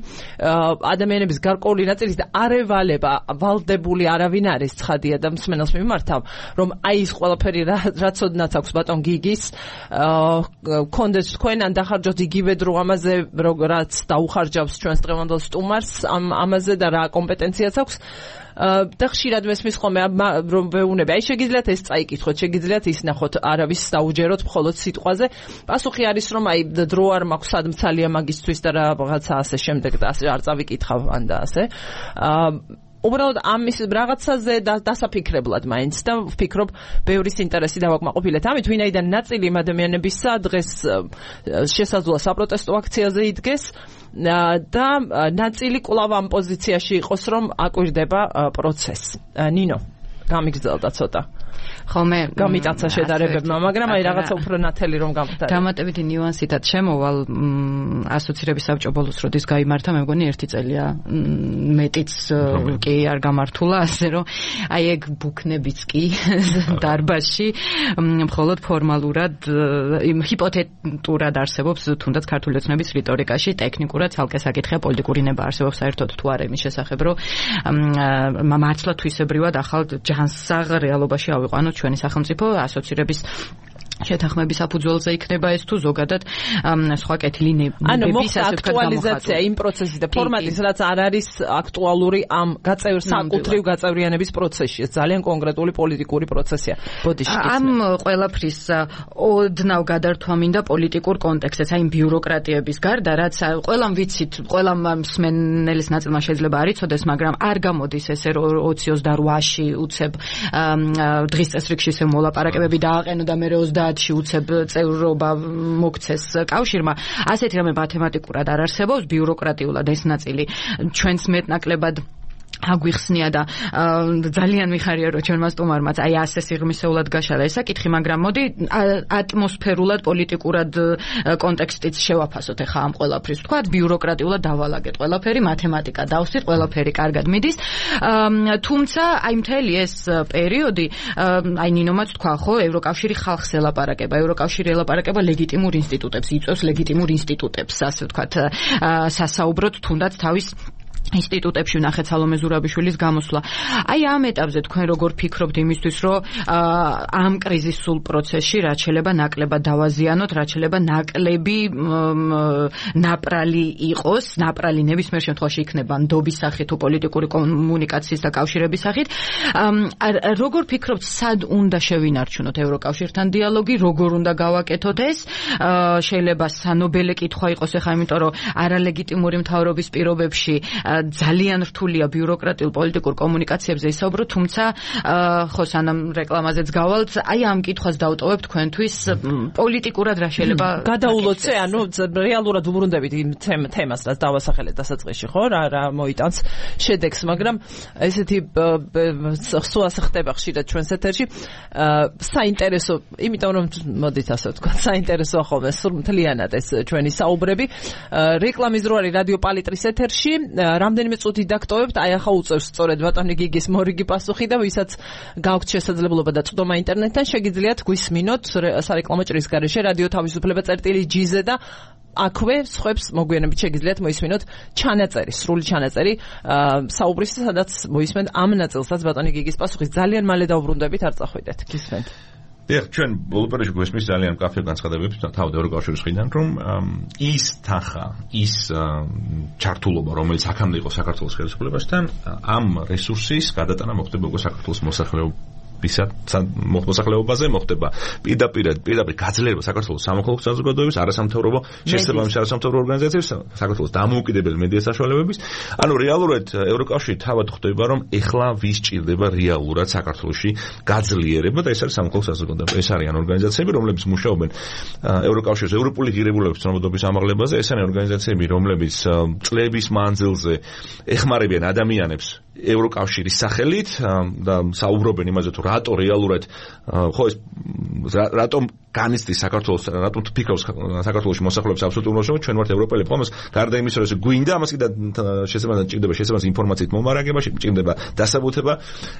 ადამიანების გარკვეული ნაწილის და არევალება ვალდებული არავინ არის ცხადია და მსმენელს მიმართავ რომ აი ეს ყველაფერი რაც ოდნაც აქვს ბატონ გიგის კონდეს თქვენ ან დახარჯოთ იგივე დრო ამაზე რაც დაუხარჯავს ჩვენს დღევანდელ სტუმარს ამ ამაზე და რა კომპეტენციაც აქვს და ხშირად მესმის ხოლმე რომ ვეუბნები, აი შეგიძლიათ ეს წაიკითხოთ, შეგიძლიათ ის ნახოთ, არავის დაუჯეროთ მხოლოდ სიტყვაზე. პასუხი არის რომ აი დრო არ მაქვს სადმცალია მაგისთვის და რაღაცა ასე შემდეგ და ასე არ წავიკითხავ ან და ასე. უბრალოდ ამის რაღაცაზე დასაფიქრებლად მაინც და ვფიქრობ ბევრის ინტერესი დავაკმაყოფილეთ. ამით ვინაიდან ნაწილი იმ ადამიანებისა დღეს შესაძლოა საპროტესტო აქციაზე იდგეს და ნაწილი კვლავ ამ პოზიციაში იყოს რომ აკვირდება პროცესს. ნინო, გამიგრძელდა ცოტა. ხოლმე გამიტაცა შედარებებმა, მაგრამ აი რაღაცა უფრო ნათელი რომ გამختار.
დამატებითი ნიუანსითაც შემოვალ ასოცირების საბჭო ბოლოს როდის გაიმართა, მე მგონი ერთი წელია მეტიც კი არ გამართულა, ასე რომ აი ეგ ბუქნებიც კი დარბაზში მხოლოდ ფორმალურად იმ ჰიპოთეტურად არსებობს თუნდაც ქართული ოცნების რიტორიკაში, ტექნიკურად ცალკე საკითხია, პოლიტიკური ნება არსებობს საერთოდ თუ არა იმის შესახებ, რომ მართლა თვისებრივად ახალ ჯანსაღ რეალობაში ავიყვანოთ ჩვენი სახელმწიფო ასოცირების შეთანხმების საფუძველზე იქნება ეს თუ ზოგადად სხვა კეთილი ნებების
აქტუალიზაცია იმ პროცესის და ფორმატის, რაც არ არის აქტუალური ამ გაწევრ საკუთრივ გაწევრიანების პროცესში. ეს ძალიან კონკრეტული პოლიტიკური პროცესია. ბოდიში
ამ ყველაფრის ოდნავ გადართვა მინდა პოლიტიკურ კონტექსტზე, აი ბიუროკრატიების გარდა, რაც ყველამ ვიცით, ყველამ მსმენელის ნაწილმა შეიძლება არ იცოდეს, მაგრამ არ გამოდის ესე ოცი ოცდაოთხში უცებ დღის წესრიგში ესე მოლაპარაკებები დააყენო და მე ოცდაათში უცებ წევრობა მოგცეს კავშირმა. ასეთი რამე მათემატიკურად არ არსებობს, ბიუროკრატიულად ეს ნაწილი ჩვენს მეტნაკლებად აგვიხსნია და ძალიან მიხარია რომ ჩვენმა სტუმარმაც აი ასე სიღრმისეულად გაშალა ეს საკითხი, მაგრამ მოდი ატმოსფერულად, პოლიტიკურად კონტექსტიც შევაფასოთ ახლა ამ ყველაფრის. თქვათ ბიუროკრატიულად დავალაგეთ ყველაფერი, მათემატიკა დავსვით, ყველაფერი კარგად მიდის. თუმცა აი მთელი ეს პერიოდი, აი ნინომაც თქვა ხო, ევროკავშირი ხალხს ელაპარაკება, ევროკავშირი ელაპარაკება ლეგიტიმურ ინსტიტუტებს, იწვევს ლეგიტიმურ ინსტიტუტებს, ასე ვთქვათ, სასაუბროთ თუნდაც თავის ინსტიტუტებში ვნახეთ სალომე ზურაბიშვილის გამოსვლა. აი ამ ეტაპზე თქვენ როგორ ფიქრობთ იმისთვის, რომ ამ კრიზისულ პროცესში რაც შეიძლება ნაკლებად დავაზიანოთ, რაც შეიძლება ნაკლები ნაპრალი იყოს, ნაპრალი ნებისმიერ შემთხვევაში იქნება ნდობის სახით თუ პოლიტიკური კომუნიკაციის და კავშირების სახით. როგორ ფიქრობთ, სად უნდა შევინარჩუნოთ ევროკავშირთან დიალოგი, როგორ უნდა გავაკეთოთ ეს? შეიძლება სანობელე კითხვა იყოს ახლა, იმიტომ რომ არალეგიტიმური მთავრობის პირობებში ძალიან რთულია ბიუროკრატიულ პოლიტიკურ კომუნიკაციებზე ისაუბრო, თუმცა ხო სანამ რეკლამაზეც გავალთ, აი ამ კითხვას დავტოვებ თქვენთვის პოლიტიკურად რა შეიძლება
გადაულოცე, ანუ რეალურად უბრუნდებით იმ თემას, რაც დავასახელეთ დასაწყისში, ხო, რა რა მოიტანს შედეგს, მაგრამ ესეთი სუასე ხდება ხშირად ჩვენს ეთერში. საინტერესო, იმიტომ რომ მოდით ასე ვთქვა, საინტერესოა ხოლმე სულ მთლიანად ეს ჩვენი საუბრები. რეკლამის დრო არის რადიო პალიტრის ეთერში. რამდენიმე წუთი დაგტოვებთ, აი ახლა უწევს სწორედ ბატონი გიგის მორიგი პასუხი და ვისაც გაქვთ შესაძლებლობა და წვდომა ინტერნეტთან, შეგიძლიათ გვისმინოთ სარეკლამო ჭრის გარეშე რადიო თავისუფლება წერტილი ჯი-ზე და აქვე სხვებს მოგვიანებით შეგიძლიათ მოისმინოთ ჩანაწერი, სრული ჩანაწერი საუბრის, სადაც მოისმენთ ამ ნაწილსაც ბატონი გიგის პასუხის. ძალიან მალე დავბრუნდებით, არ წახვიდეთ, გისმენთ.
დიახ, ჩვენ ბოლო პერიოდში გვესმის ძალიან მკაფიო განცხადებები თავად ევროკავშირის მხრიდან, რომ ის თანხა, ის ჩართულობა, რომელიც აქამდე იყო საქართველოს ხელისუფლებასთან, ამ რესურსის გადატანა მოხდება უკვე საქართველოს მოსახლეობასთან. მოსახლეობაზე მოხდება პირდაპირ პირდაპირ გაძლიერება საქართველოს სამოქალაქო საზოგადოების, არასამთავრობო შესაბამის არასამთავრობო ორგანიზაციების, საქართველოს დამოუკიდებელი მედია საშუალებების. ანუ რეალურად ევროკავშირი თავად ხვდება, რომ ეხლა ვის ჭირდება რეალურად საქართველოში გაძლიერება და ეს არის სამოქალაქო საზოგადოება. ეს არიან ორგანიზაციები, რომლებიც მუშაობენ ევროკავშირის ევროპული ღირებულების ცნობადობის ამაღლებაზე, ეს არიან ორგანიზაციები, რომლებიც წლების მანძილზე ეხმარებიან ადამიანებს ევროკავშირის სახელით და საუბრობენ იმაზე, თუ რატო რეალურად ხო ეს რატომ განიცდის საქართველოს, რატომ ფიქრობს საქართველოში მოსახლეობის აბსოლუტურ უმრავლესობა, ჩვენ ვართ ევროპელები, ხომას გარდა იმისა, რომ ეს გვინდა, ამას კიდე შესაბამისად ჭირდება შესაბამისი ინფორმაციით მომარაგება, ჭირდება დასაბუთება.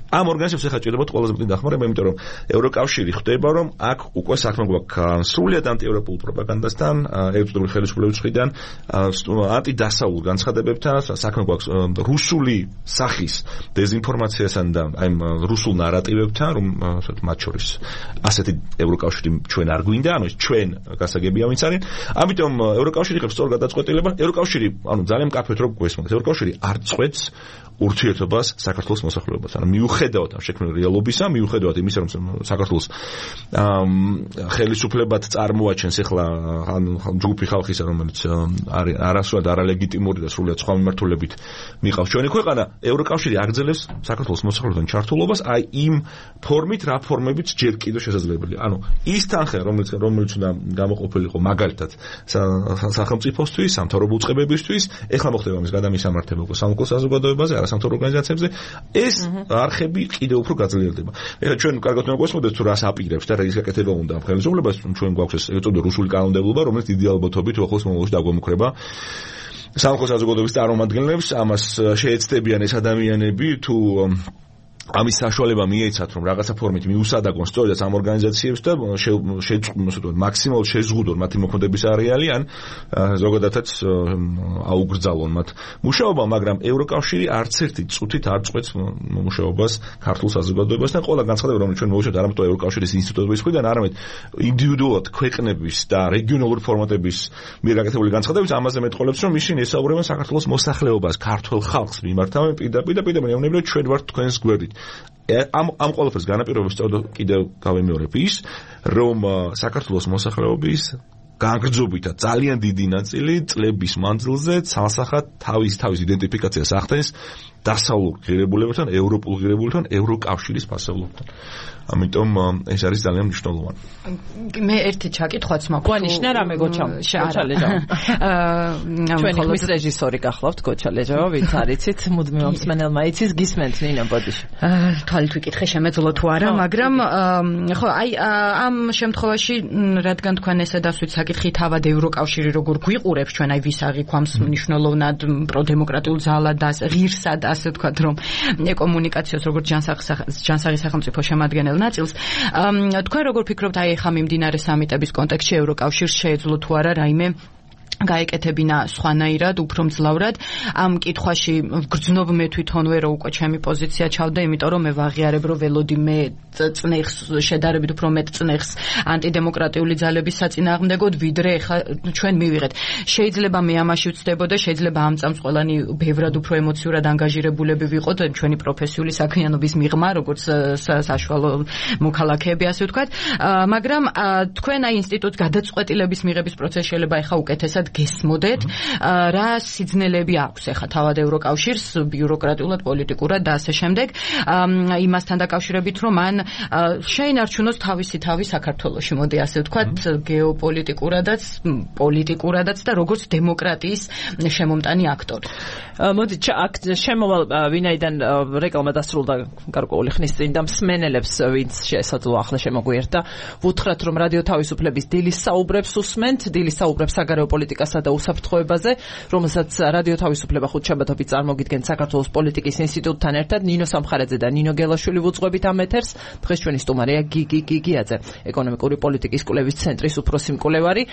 ამ ორგანიზაციებს ახლა ჭირდებათ ყველაზე მეტი დახმარება, იმიტომ რომ ევროკავშირი ხვდება, რომ აქ უკვე საქმე გვაქვს სრულიად ანტიევროპულ პროპაგანდასთან, ერთდროულად ხელისუფლების მხრიდან, ანტიდასავლურ განცხადებებთან, საქმე გვაქვს რუსული სახის დეზინფორმაციასთან და აი რუსულ ნარატივებთან, რომ მათ შორის ასეთი ევროკავშირი ჩვენ არ გვინდა, ანუ ჩვენ გასაგებია ვინც არის. ამიტომ ევროკავშირი იღებს სწორ გადაწყვეტილებას. ევროკავშირი, ანუ ძალიან მკაფიოდ რო გვესმის, ევროკავშირი არ წყვეტს ურთიერთობას საქართველოს მოსახლეობასთან. ანუ მიუხედავად ამ შექმნილ რეალობისა, მიუხედავად იმისა, რომ საქართველოს ხელისუფლებად წარმოაჩენს ახლა ჯგუფი ხალხისა, რომელიც არის არასრულად არალეგიტიმური და სრულიად სხვა მიმართულებით მიყავს ჩვენი ქვეყანა, ევროკავშირი აგრძელებს საქართველოს მოსახლეობასთან ჩართულობას, აი იმ ფორმით, რა ფორმებით ჯერ კიდევ შესაძლებელია. ანუ ის თანხა, რომელიც რომელიც უნდა გამოყოფილიყო მაგალითად სახელმწიფოსთვის, სამთავრობო უწყებებისთვის, ეხლა მოხდება მის გადამისამართება უკვე სამოქალაქო საზოგადოებაზე, არასამთავრობო ორგანიზაციებზე, ეს არხები კიდევ უფრო გაძლიერდება. ეხლა ჩვენ კარგად უნდა გვესმოდეთ, თუ რას აპირებს და რა ის გაკეთება უნდა ამ ხელისუფლებას, ჩვენ გვაქვს ეს ეწოდა რუსული კანონმდებლობა, რომელიც დიდი ალბათობით უახლოს მომავალში დაგვემუქრება სამოქალაქო საზოგადოების წარმომადგენლებს. ამას შეეცდებიან ეს ადამიანები, თუ ამის საშუალება მიეცათ, რომ რაღაცა ფორმით მიუსადაგონ სწორედ ამ ორგანიზაციებს და შეწყვეტონ მაქსიმალურად შეზღუდონ მათი მოქმედების არეალი, ან ზოგადადაც აუგრძალონ მათ მუშაობა, მაგრამ ევროკავშირი არც ერთი წუთით არ წყვეტს მუშაობას ქართულ საზოგადოებასთან. ყველა განცხადება, რომელიც ჩვენ მოვუშვებთ, არამედ ევროკავშირის ინსტიტუტების მხრიდან, არამედ ინდივიდუალურად ქვეყნების და რეგიონალური ფორმატების მიერ გაკეთებული განცხადებებს, ამაზე მეტყოლებს, რომ ისინი ესაუბრებენ საქართველოს მოსახლეობას, ქართულ ხალხს მიმართავენ პირდაპირ და პირდაპირ ეუბნებიან, ჩვენ ვართ თქვენს გვერდით. ამ ამ ყველაფერს განაპირობებს სწორედ კიდევ გავემეორებ ის, რომ საქართველოს მოსახლეობის განგრძობითა ძალიან დიდი ნაწილი წლების მანძილზე ცალსახად თავის თავის იდენტიფიკაციას ახდენს დასავლურ ღირებულებებთან, ევროპულ ღირებულებებთან, ევროკავშირის ფასეულობთან. ამიტომ ეს არის ძალიან მნიშვნელოვანი.
მე ერთი ჩაკითხვაც მაქვს.
გვანიშნა რამე გოჩამ. გოჩალეჯა. ჩვენი ხმის რეჟისორი გახლავთ გოჩალეჯა, ვინც არიცით, მუდმივ მსმენელმა იცის, გისმენთ ნინო ბოდიში.
თვალით ვიკითხე შემეძლო თუ არა, მაგრამ ხო, აი ამ შემთხვევაში რადგან თქვენ ესე დასვით საკითხი თავად ევროკავშირი როგორ გვიყურებს ჩვენ აი ვის აღიქვამს მნიშვნელოვნად პროდემოკრატიულ ძალად და ღირსად ასე ვთქვათ რომ ეკომუნიკაციას როგორც ჯანსაღი სახელმწიფო შემადგენელ ნაწილს თქვენ როგორ ფიქრობთ აი ხა მიმდინარე სამიტების კონტექსტში ევროკავშირს შეეძლო თუ არა რაიმე გაეკეთებინა სხვანაირად, უფრო მძლავრად ამ კითხვაში გრძნობ მე თვითონვე რომ უკვე ჩემი პოზიცია ჩავდა, იმიტომ რომ მე ვაღიარებ რომ ველოდი მე წნეხს შედარებით უფრო მეტ წნეხს ანტიდემოკრატიული ძალების საწინააღმდეგოდ, ვიდრე ხა ჩვენ მივიღეთ. შეიძლება მე ამაში ვცდებოდა, შეიძლება ამ წამს ყველანი ბევრად უფრო ემოციურად ანგაჟირებულები ვიყოთ ჩვენი პროფესიული საქმიანობის მიღმა, როგორც საშუალო მოქალაქეები ასე ვთქვათ, მაგრამ თქვენ აი ინსტიტუტს გადაწყვეტილების მიღების პროცესში შეიძლება ეხა უკეთესად გესმოდეთ, რა სიძნელები აქვს ახლა თავად ევროკავშირს ბიუროკრატიულად, პოლიტიკურად და ასე შემდეგ, იმასთან დაკავშირებით, რომ მან შეინარჩუნოს თავისი თავი საქართველოში, მოდი ასე ვთქვათ, გეოპოლიტიკურადაც, პოლიტიკურადაც და როგორც დემოკრატიის შემომტანი აქტორი.
მოდი აქ შემოვალ ვინაიდან რეკლამა დასრულდა გარკვეული ხნის წინ და მსმენელებს ვინც შესაძლოა ახლა შემოგვიერთდა, ვუთხრათ რომ რადიო თავისუფლების დილის საუბრებს უსმენთ, დილის საუბრებს საგარეო პოლიტიკასა და უსაფრთხოებაზე, რომელსაც რადიო თავისუფლება ხუთშაბათობით წარმოგიდგენთ საქართველოს პოლიტიკის ინსტიტუტთან ერთად, ნინო სამხარაძე და ნინო გელაშვილი ვუძღვებით ამ ეთერს. დღეს ჩვენი სტუმარია გიგი გიგიაძე, ეკონომიკური პოლიტიკის კვლევის ცენტრის უფროსი მკვლევარი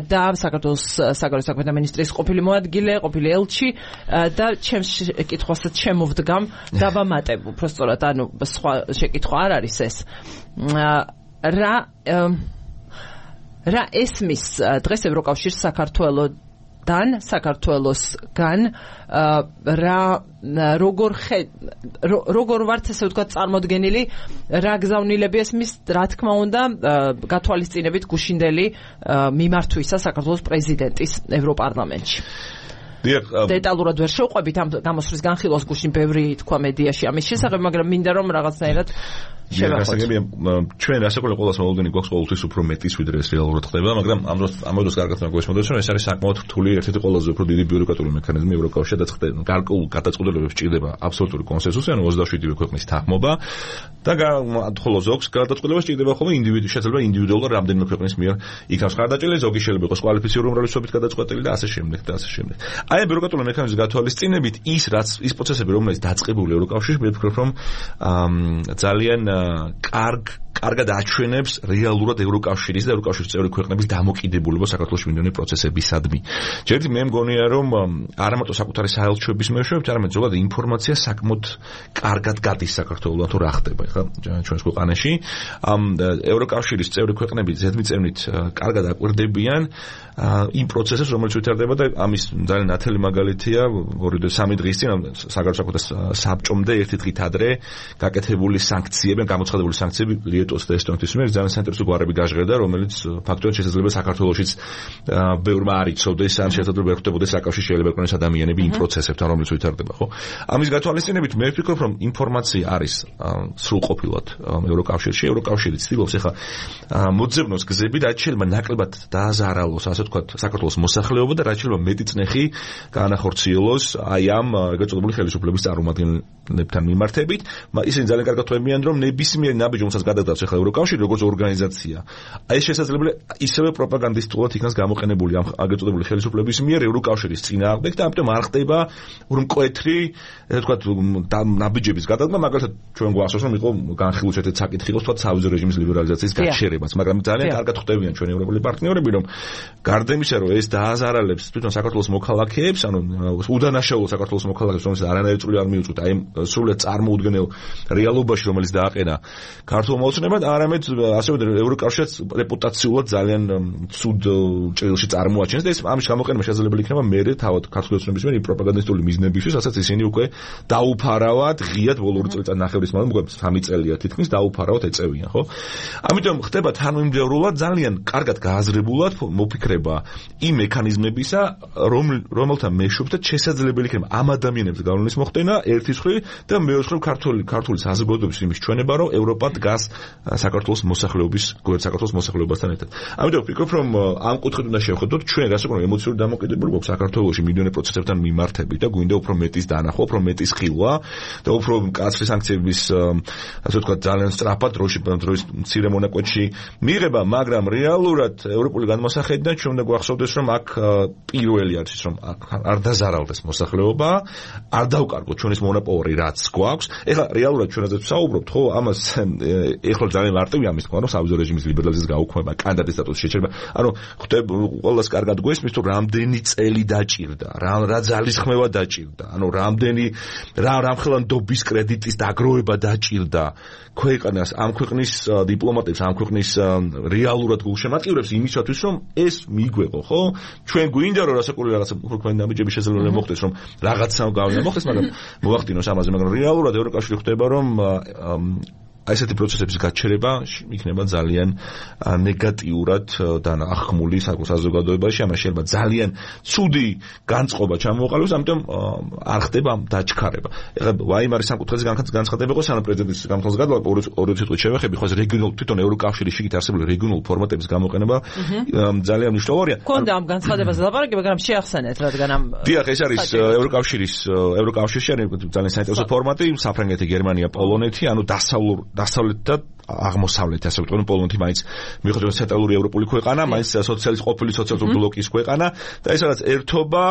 და საქართველოს საგარეო საქმეთა მინისტრის ყოფილი მოადგილე, ყოფილი ელჩი და ჩემს კითხვასაც შემოვდგამ დავამატებ, უბრალოდ ანუ სხვა შეკითხვა არ არის ეს. რა რა ესმის დღეს ევროკავშირს საქართველოსთან, საქართველოსგან რა როგორ როგორ ვართ ესე ვთქვათ წარმოდგენილი, რა გზავნილები ესმის, რა თქმა უნდა, გათვალისწინებით გუშინდელი მიმართვისა საქართველოს პრეზიდენტის ევროპარლამენტში. დეტალურად ვერ შევყვებით ამ გამოსვლის განხილვას, გუშინ ბევრი თქვა მედიაში ამის შესახებ, მაგრამ მინდა რომ რაღაცნაირად
შევახოთ. ჩვენ რასაკვირველია ყოველას მოლოდინი გვაქვს ყოველთვის უფრო მეტის ვიდრე ეს რეალურად ხდება, მაგრამ ამ დროს ამ დროს კარგად მოგესმოდეთ, რომ ეს არის საკმაოდ რთული, ერთ-ერთი ყველაზე უფრო დიდი ბიუროკრატიული მექანიზმი ევროკავშირში და ხდება გარკვეულ გადაწყვეტილებებს ჭირდება აბსოლუტური კონსენსუსი, ანუ ოცდაშვიდივე ქვეყნის თანხმობა და ხოლო ზოგს გადაწყვეტილებას ჭირდება ხოლმე ინდივიდუ, შეიძლება ინდივიდუალურად რამდენიმე ქვეყნის მიერ იქნას ხარდაჭერილი, ზოგი შეიძლება იყოს კვალიფიციური უმრავლესობით გადაწყვეტილი და ასე შემდეგ და ასე შემდეგ. აი ამ ბიუროკრატიული მექანიზმის გათვალისწინებით ის რაც ის პროცესები რომელიც დაწყებული ევროკავშირში, მე ვფიქრობ რომ ძალიან კარგ კარგად აჩვენებს რეალურად ევროკავშირის და ევროკავშირის წევრი ქვეყნების დამოკიდებულება საქართველოს მინდორნი პროცესებისადმი. ჯერჯერობით მე მგონია რომ არა მარტო საკუთარი საელჩოების მეშვეობით, არამედ ზოგადად ინფორმაცია საკმაოდ კარგად გადის საქართველოსთან თუ რა ხდება ხა ჩვენს ქვეყანაში. ამ ევროკავშირის წევრი ქვეყნები ზედმიწევნით კარგად აკვირდებიან იმ პროცესებს, რომელიც ვითარდება და ამის ძალიან ნათელი მაგალითია ორი და სამი დღის წინ საგარეო საქმეთა საბჭომდე ერთი დღით ადრე გაკეთებული სანქციები, გამოცხადებული სანქციები ლიეტუვას და ესტონეთის მიერ ძალიან საინტერესო გვარები გაჟღერდა, რომელიც ფაქტობრივად შესაძლოა საქართველოშიც ბევრმა არ იცოდეს, ან შესაძლოა ვერ ხვდებოდეს საკავშირში შეიძლება იყოს ადამიანები იმ პროცესებთან, რომელიც ვითარდება, ხო? ამის გათვალისწინებით მე ვფიქრობ, რომ ინფორმაცია არის სრულყოფილად ევროკავშირში, ევროკავშირი ცდილობს ახლა მოძებნოს გზები, რაც შეიძლება ნაკლებად დააზარალოს, ასე ვთქვათ, საქართველოს მოსახლეობა და რაც შეიძლება მეტი წნეხი გაანახორციელოს აი ამ გაწოდებული ხელისუფლების წარმომადგენლებთან მიმართებით. ისინი ძალიან კარგად ხვდებიან, რომ ნებისმიერ ნაბიჯს, რომელსაც გადაგდავს ახლა ევროკავშირი როგორც ორგანიზაცია, აი ეს შესაძლებელი ისევე პროპაგანდისტულად იქნას გამოყენებული ამ გაწოდებული ხელისუფლების მიერ ევროკავშირის წინააღმდეგ და ამიტომ არ ხდება მკვეთრი, ესე ვთქვათ, ნაბიჯების გადადგმა, მაგალითად ჩვენ გვახსოვს, რომ იყო განხილვის ერთ-ერთი საკითხი იყო, თქვათ, სავიზო რეჟიმის ლიბერალიზაციის გაჩერებაც, მაგრამ ძალიან კარგად ხვდებიან ჩვენი ევროპელი პარტნიორები, რომ გარდა იმისა, რომ ეს დააზარალებს თვითონ საქართველოს მოქალაქეებს, ანუ უდანაშაულო საქართველოს მოქალაქეებს, რომელსაც არანაირი წვლილი არ მიუწვით აი სრულად წარმოუდგენელ რეალობაში, რომელიც დააყენა ქართულ მოსულს, ოცნებად, არამედ ასევე ევროკავშირს რეპუტაციულად ძალიან ცუდ ჭრილში წარმოაჩენს და ეს ამის გამოყენება შესაძლებელი იქნება მერე თავად ქართული ოცნების მიერ პროპაგანდისტული მიზნებისთვის, რასაც ისინი უკვე დაუფარავად, ღიად ბოლო ორი წელიწადნახევრის მანძილზე, მოკლედ სამი წელია თითქმის დაუფარავად ეწევიან, ხო? ამიტომ ხდება თანმიმდევრულად ძალიან კარგად გააზრებულად მოფიქრება იმ მექანიზმებისა, რომელთა მეშვეობითაც შესაძლებელი იქნება ამ ადამიანებს გავლენის მოხდენა ერთის მხრივ და მეოთხე ქართული ქართული საზოგადოების იმის ჩვენება, რომ ევროპა დგას საქართველოს მოსახლეობის, გვერდ საქართველოს მოსახლეობასთან ერთად. ამიტომ ვფიქრობ, რომ ამ კუთხით უნდა შევხედოთ ჩვენ რასაკვირველია ემოციური დამოკიდებულება გვაქვს საქართველოში მილიონი პროცესებთან მიმართებით და გვინდა უფრო მეტის დანახვა, უფრო მეტის ხილვა და უფრო მკაცრი სანქციების, ასე ვთქვათ, ძალიან სწრაფად დროში დროის მცირე მონაკვეთში მიღება, მაგრამ რეალურად ევროპული განმოსახედიდან ჩვენ უნდა გვახსოვდეს, რომ აქ პირველი არის ის, რომ არ დაზარალდეს მოსახლეობა, არ დავკარგოთ ჩვენის მონოპოლი რაც გვაქვს. ეხლა რეალურად ჩვენ რაზეც ვსაუბრობთ, ხო, ამას ეხლა ძალიან მარტივია ამის თქმა, რომ სავიზო რეჟიმის ლიბერალიზმის გაუქმება, კანდიდატის სტატუსის შეჩერება. ანუ ხვდები ყველას კარგად გვესმის, თუ რამდენი წელი დაჭირდა, რა რა ძალისხმევა დაჭირდა, ანუ რამდენი რა რამხელანდობის კრედიტის დაგროვება დაჭირდა ქვეყანას, ამ ქვეყნის დიპლომატებს, ამ ქვეყნის რეალურად გულშემატკივრებს იმისათვის, რომ ეს მიგვეღო, ხო? ჩვენ გვინდა რომ რასაკვირველი რაღაცა უქმენი დამიჯები შესაძლებელი მოხდეს, რომ რაღაცა გავლენა მოხდეს, მაგრამ მოახდინოს ამაზე, მაგრამ რეალურად ევროკავშირი ხვდება, რომ აი ესეთი პროცესების გაჩერება იქნება ძალიან ნეგატიურად დანახმული საზოგადოებაში, ამას შეიძლება ძალიან ცუდი განწყობა ჩამოყალიბოს, ამიტომ არ ხდება დაჩქარება. ეხლა ვაიმარის სამკუთხედის განცხადება იყო სანამ პრეზიდენტის განხილვის გადავა ორი წუთით შევეხები, ხო ეს რეგიონულ თვითონ ევროკავშირის შიგნით არსებული რეგიონულ ფორმატების გამოყენება ძალიან მნიშვნელოვანია.
კონდა ამ განცხადებაზე ლაპარაკი, მაგრამ შეახსენეთ, რადგან ამ
დიახ, ეს არის ევროკავშირის ევროკავშირში არის ძალიან საინტერესო ფორმატი, საფრანგეთი, გერმანია, პოლონეთი, ანუ დასავლურ დასავლეთ და აღმოსავლეთ, ასე ვთქვათ, პოლონეთი მაინც მიუხედავად ცენტრალური ევროპული ქვეყანა, მაინც სოციალისტ ყოფილი სოციალისტური ბლოკის ქვეყანა და ეს რაც ერთობა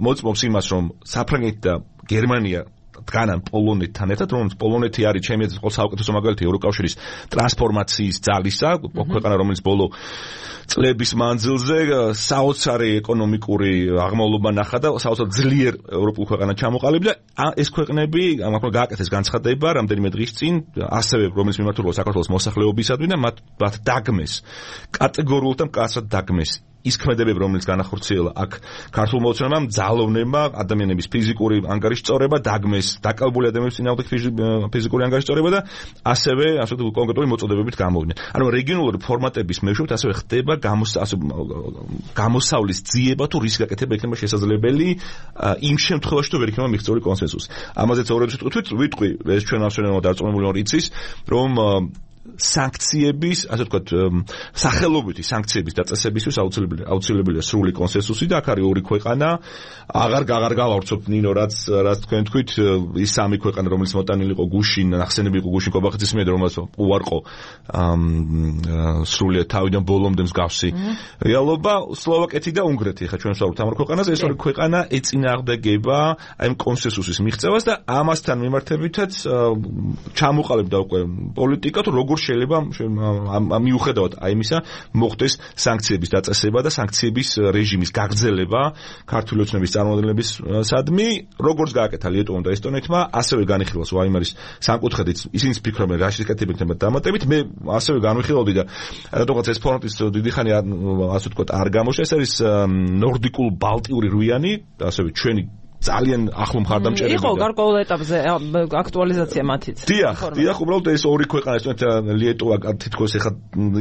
მოწმობს იმას, რომ საფრანგეთი და გერმანია დგანან პოლონეთთან ერთად, რომელიც პოლონეთი არის ჩემი აზრით ყოველ საუკეთესო მაგალითი ევროკავშირის ტრანსფორმაციის ძალისა, ქვეყანა რომელიც ბოლო წლების მანძილზე საოცარი ეკონომიკური აღმავლობა ნახა და საოცარ ძლიერ ევროპულ ქვეყანად ჩამოყალიბდა. ეს ქვეყნები ამაყრა გააკეთეს განცხადება რამდენიმე დღის წინ, ასევე რომელიც მიმართულება საქართველოს მოსახლეობისადმი და მათ მათ დაგმეს კატეგორიულად და მკაცრად დაგმეს ის ქმედებები, რომელიც განახორციელა აქ ქართულ მოძრაობამ, ძალოვნებმა, ადამიანების ფიზიკური ანგარიშის სწორება, დაგმეს დაკავებული ადამიანების წინააღმდეგ ფიზიკური ანგარიშის სწორება და ასევე ასე კონკრეტული მოწოდებებით გამოვიდნენ. ანუ რეგიონალური ფორმატების მეშვეობით ასევე ხდება გამოსავლის ძიება თუ რის გაკეთება იქნება შესაძლებელი იმ შემთხვევაში, თუ ვერ იქნება მიღწეული კონსენსუსი. ამაზეც ორი წუთით ვიტყვი, ეს ჩვენ ავსვენებთ დარწმუნებული ვარ იცის, რომ სანქციების, ასე ვთქვათ, სახელობითი სანქციების დაწესებისთვის აუცილებელი აუცილებელია სრული კონსენსუსი და აქ არის ორი ქვეყანა, აღარ აღარ გავავრცობთ ნინო, რაც რაც თქვენ თქვით, ის სამი ქვეყანა, რომელიც მოტანილი იყო გუშინ, ნახსენები იყო გუშინ კობახეთის მიერ, რომელსაც უარყო სრულად თავიდან ბოლომდე მსგავსი რეალობა, სლოვაკეთი და უნგრეთი, ხა ჩვენ ვსაუბრობთ ამ ქვეყანაზე, ეს ორი ქვეყანა ეწინააღმდეგება აი ამ კონსენსუსის მიღწევას და ამასთან მიმართებითაც ჩამოყალიბდა უკვე პოლიტიკა, თუ როგორ შეიძლება მიუხედავად აი იმისა მოხდეს სანქციების დაწესება და სანქციების რეჟიმის გაგრძელება ქართული ოცნების წარმომადგენლებისადმი, როგორც გააკეთა ლიტვამ და ესტონეთმა, ასევე განიხილავს ვაიმარის სამკუთხედით, ისინი ფიქრობენ რა შეკეთება იქნება დამატებით, მე ასევე განვიხილავდი და რადგანაც ეს ფორმატის დიდი ხანი ასე ვთქვათ არ გამოჩნდა, ეს არის ნორდიკულ ბალტიური რუიანი, ასევე ჩვენი ძალიან ახლო მხარდამჭერები
იყო გარკვეულ ეტაპზე აქტუალიზაცია მათიც.
დიახ, დიახ, უბრალოდ ეს ორი ქვეყანა, ესეთ ლიტვა თითქოს ეხა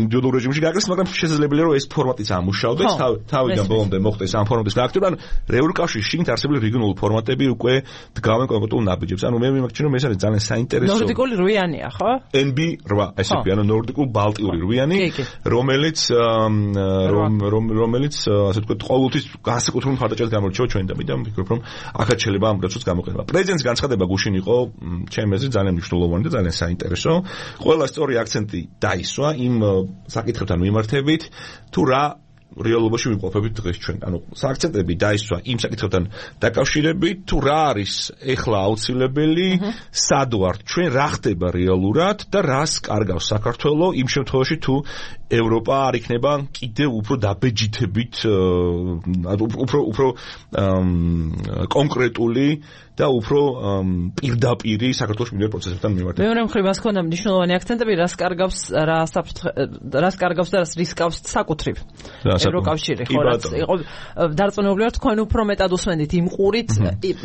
ინდივიდუალურ რეჟიმში გააკეთეს, მაგრამ შესაძლებელია რომ ეს ფორმატიც ამუშავდეს, თავიდან ბოლომდე მოხდეს ამ ფორმატის გააქტიურება. ანუ ევროკავშირის შიგნით არსებული რეგიონული ფორმატები უკვე დგავენ კონკრეტულ ნაბიჯებს. ანუ მე მიმაჩნია რომ ეს არის ძალიან საინტერესო.
ნორდიკული რუიანია, ხო?
ენ ბი რვა, ესე იგი, ანუ ნორდიკულ ბალტიური რუიანი, რომელიც რომელიც ასე ვთქვათ, ყოველთვის განსაკუთრებული მხარდაჭერით გამორჩევა ჩვენ და მე ვფიქრობ რომ აქაც შეიძლება ამ პროცესს გამოყენება. პრეზიდენტის განცხადება გუშინ იყო ჩემი აზრით ძალიან მნიშვნელოვანი და ძალიან საინტერესო. ყველა სწორი აქცენტი დაისვა იმ საკითხებთან მიმართებით, თუ რა რეალობაში ვიმყოფებით დღეს ჩვენ. ანუ სააქცენტები დაისვა იმ საკითხებთან დაკავშირებით, თუ რა არის ეხლა აუცილებელი, სად ვართ ჩვენ, რა ხდება რეალურად და რას კარგავს საქართველოს იმ შემთხვევაში, თუ ევროპა არ იქნება კიდევ უფრო დაბეჯითებით, უფრო უფრო კონკრეტული და უფრო პირდაპირი საქართველოს მიმდინარე პროცესებთან მიმართებით.
მეორე მხრივ მას ქონდა მნიშვნელოვანი აქცენტები, რას კარგავს, რას რას კარგავს და რას რისკავს საკუთრივ ევროკავშირი, ხო რაც იყო დარწმუნებული ვარ თქვენ უფრო მეტად უსმენთ იმ ყურით,